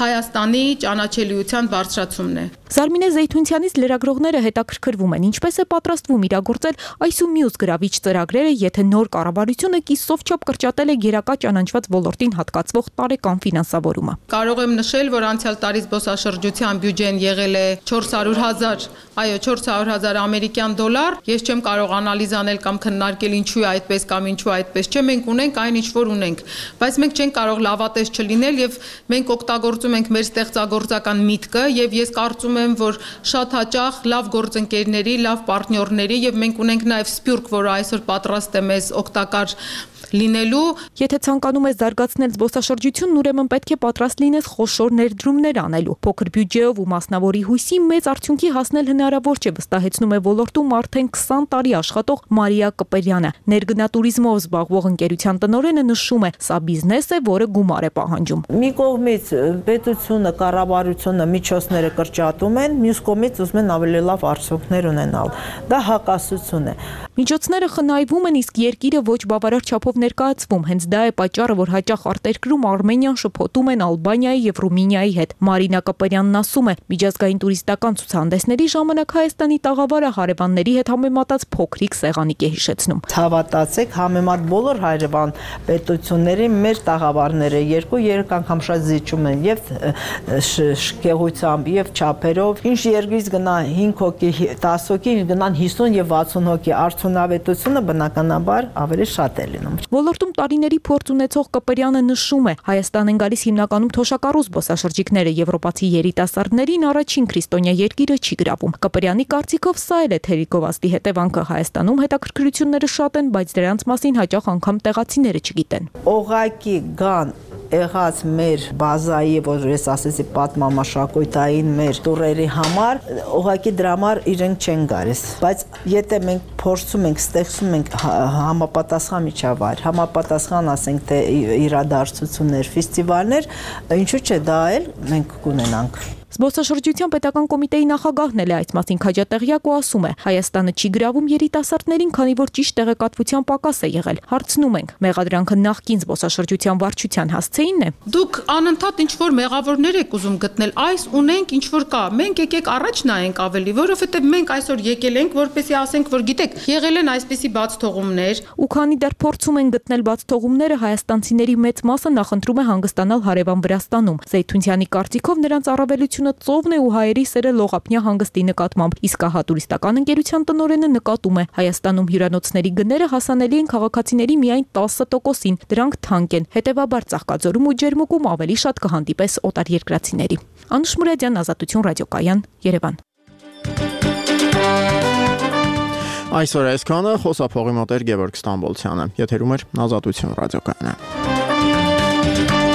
Հայաստանի ճանաչելիության բարձրացումն է։ Զարմինե Զեյթունցյանից լրագրողները հետաքրքրվում են, ինչպես է պատրաստվում իրագործել այս ու մյուս գրավիչ ծրագրերը, եթե նոր կառավարությունը կիսով չափ կրճատել է գերակա ճանաչված ոլորտին հատկացվող տարեկան ֆինանսավորումը։ Կարող եմ նշել, որ անցյալ տարի զբոսաշրջության բյուջեն եղել է չորս հարյուր հազար, այո, չորս հարյուր հազար ամերիկյան դոլար։ Ես չեմ կարող անալիզ անել կամ քննարկել ինչու է այդպես կամ ինչու այդպես չէ, մենք ունենք այն ինչ որ ունենք, բայց մենք չենք կարող լավատես չլինել եւ մենք օգտագործում ենք մեր ստեղծագործական միտքը եւ ես կարծում եմ, որ շատ հաճախ լավ գործընկերների, լավ պարտներների եւ մենք ունենք նաեւ սպյուրք, որը այսօր պատրաստ է մեզ օգտակար լինելու։ Եթե ցանկանում ես զարգացնել զբոսաշրջությունն, ուրեմն պետք է պատրաստ լինես խոշոր ներդրումներ անելու։ Փոքր բյուջեով ու մասնավորի հույսի մեծ արդյունքի հասնել հնարավոր չէ, վստահեցնում է ոլորտում արդեն քսան տարի աշխատող Մարիա Կպերյանը։ Ներգնատուրիզմով զբաղվող ընկերության տնօրենը նշում է, սա բիզնես է, որը գումար է պահանջում։ Մի կողմից պետությունը, կառավարությունը միջոցները կրճատում են, մյուս կողմից ուզում են ավելի լավ արդյունքներ ունենալ։ Դա հակասություն է։ Միջոցները խնայվում են, իսկ երկիրը ոչ բավարար չափով ներկայացվում։ Հենց դա է պատճառը, որ հաճախ արտերկրում Արմենիան շփոթում են Ալբանիայի եւ Ռումինիայի հետ։ Մարինա Կապերյանն ասում է, միջազգային տուրիստական ցուցահանդեսների ժամանակ Հայաստանի տաղավարը հարևանների հետ համեմատած փոքրիկ սեղանիկ է հիշեցնում։ Հավատացեք, համեմատ բոլոր հարևան պետությունների մեր տաղավարները երկու-երեք անգամ շատ զիջում են եւ շքեղությամբ եւ չափերով։ Ինչ երկրից գնա հինգ հոգի, դաս հոգի, գնան հիսուն եւ վաթսուն հոգի, արդյունավետությունը բնականաբար ավելի շատ է լինում։ Ոլորտում տարիների փորձ ունեցող Կպրյանը նշում է, Հայաստան են գալիս հիմնականում թոշակառու զբոսաշրջիկները, եվրոպացի երիտասարդներին առաջին քրիստոնյա երկիրը չի գրավում։ Կպրյանի կարծիքով սա էլ է թերիկովաստի հետևանքը։ Հայաստանում հետաքրքրությունները շատ են, բայց դրանց մասին հաճախ անգամ տեղացիները չգիտեն։ Օղակի գան եղած մեր բազայի, որ ես ասեցի պատմամաշակույթային մեր տուրերի համար, ուղղակի դրա համար իրենք չեն գալիս, բայց եթե մենք փորձում ենք, ստեղծում ենք համապատասխան միջավայր, համապատասխան ասենք թե իրադարձություններ, ֆեստիվալներ, ինչու՞ չէ դա էլ մենք կունենանք։ Զբոսաշրջության պետական կոմիտեի նախագահն էլ է այս մասին քաջատեղյակ ու ասում է, Հայաստանը չի գրավում երիտասարդներին, քանի որ ճիշտ տեղեկատվության պակաս է եղել։ Հարցնում ենք, մեղադրանքը նախկին զբոսաշրջության վարչության հասցեինն է։ Դուք անընդհատ ինչ որ մեղավորներ եք ուզում գտնել, այս ունենք ինչ որ կա։ Մենք եկեք առաջ նայենք ավելի, որովհետև մենք այսօր եկել ենք, որպեսզի ասենք, որ գիտեք, եղել են այսպիսի բաց թողումներ։ Ու քանի դեռ փորձում են գտնել բաց թողումները, հայաստանցիների մեծ մասը նախընտրում է հանգստանալ հարևան Վրաստանում։ Զեյթունցյանի կարծիքով նրանց առավելությունը ծովն է ու հայերի սերը լողափնյա հանգստի նկատմամբ, իսկ հա տուրիստական ընկերության տնօրենը նկատում է, Հայաստանում հյուրանոցների գները հասանելի են քաղաքացիների միայն տասը տոկոսին, դրանք թանկ են, հետևաբար Ծաղկաձորում ու Ջերմուկում ավելի շատ կհանդիպես օտարերկրացիների։ Անուշ Մուրադյան, Ազատություն ռադիոկայան, Երևան։ Այսօր այսքանը, խոսափողի մոտ էր Գևորգ Ստամբոլցյանը, եթերում էր Ազատություն ռադիոկայանը։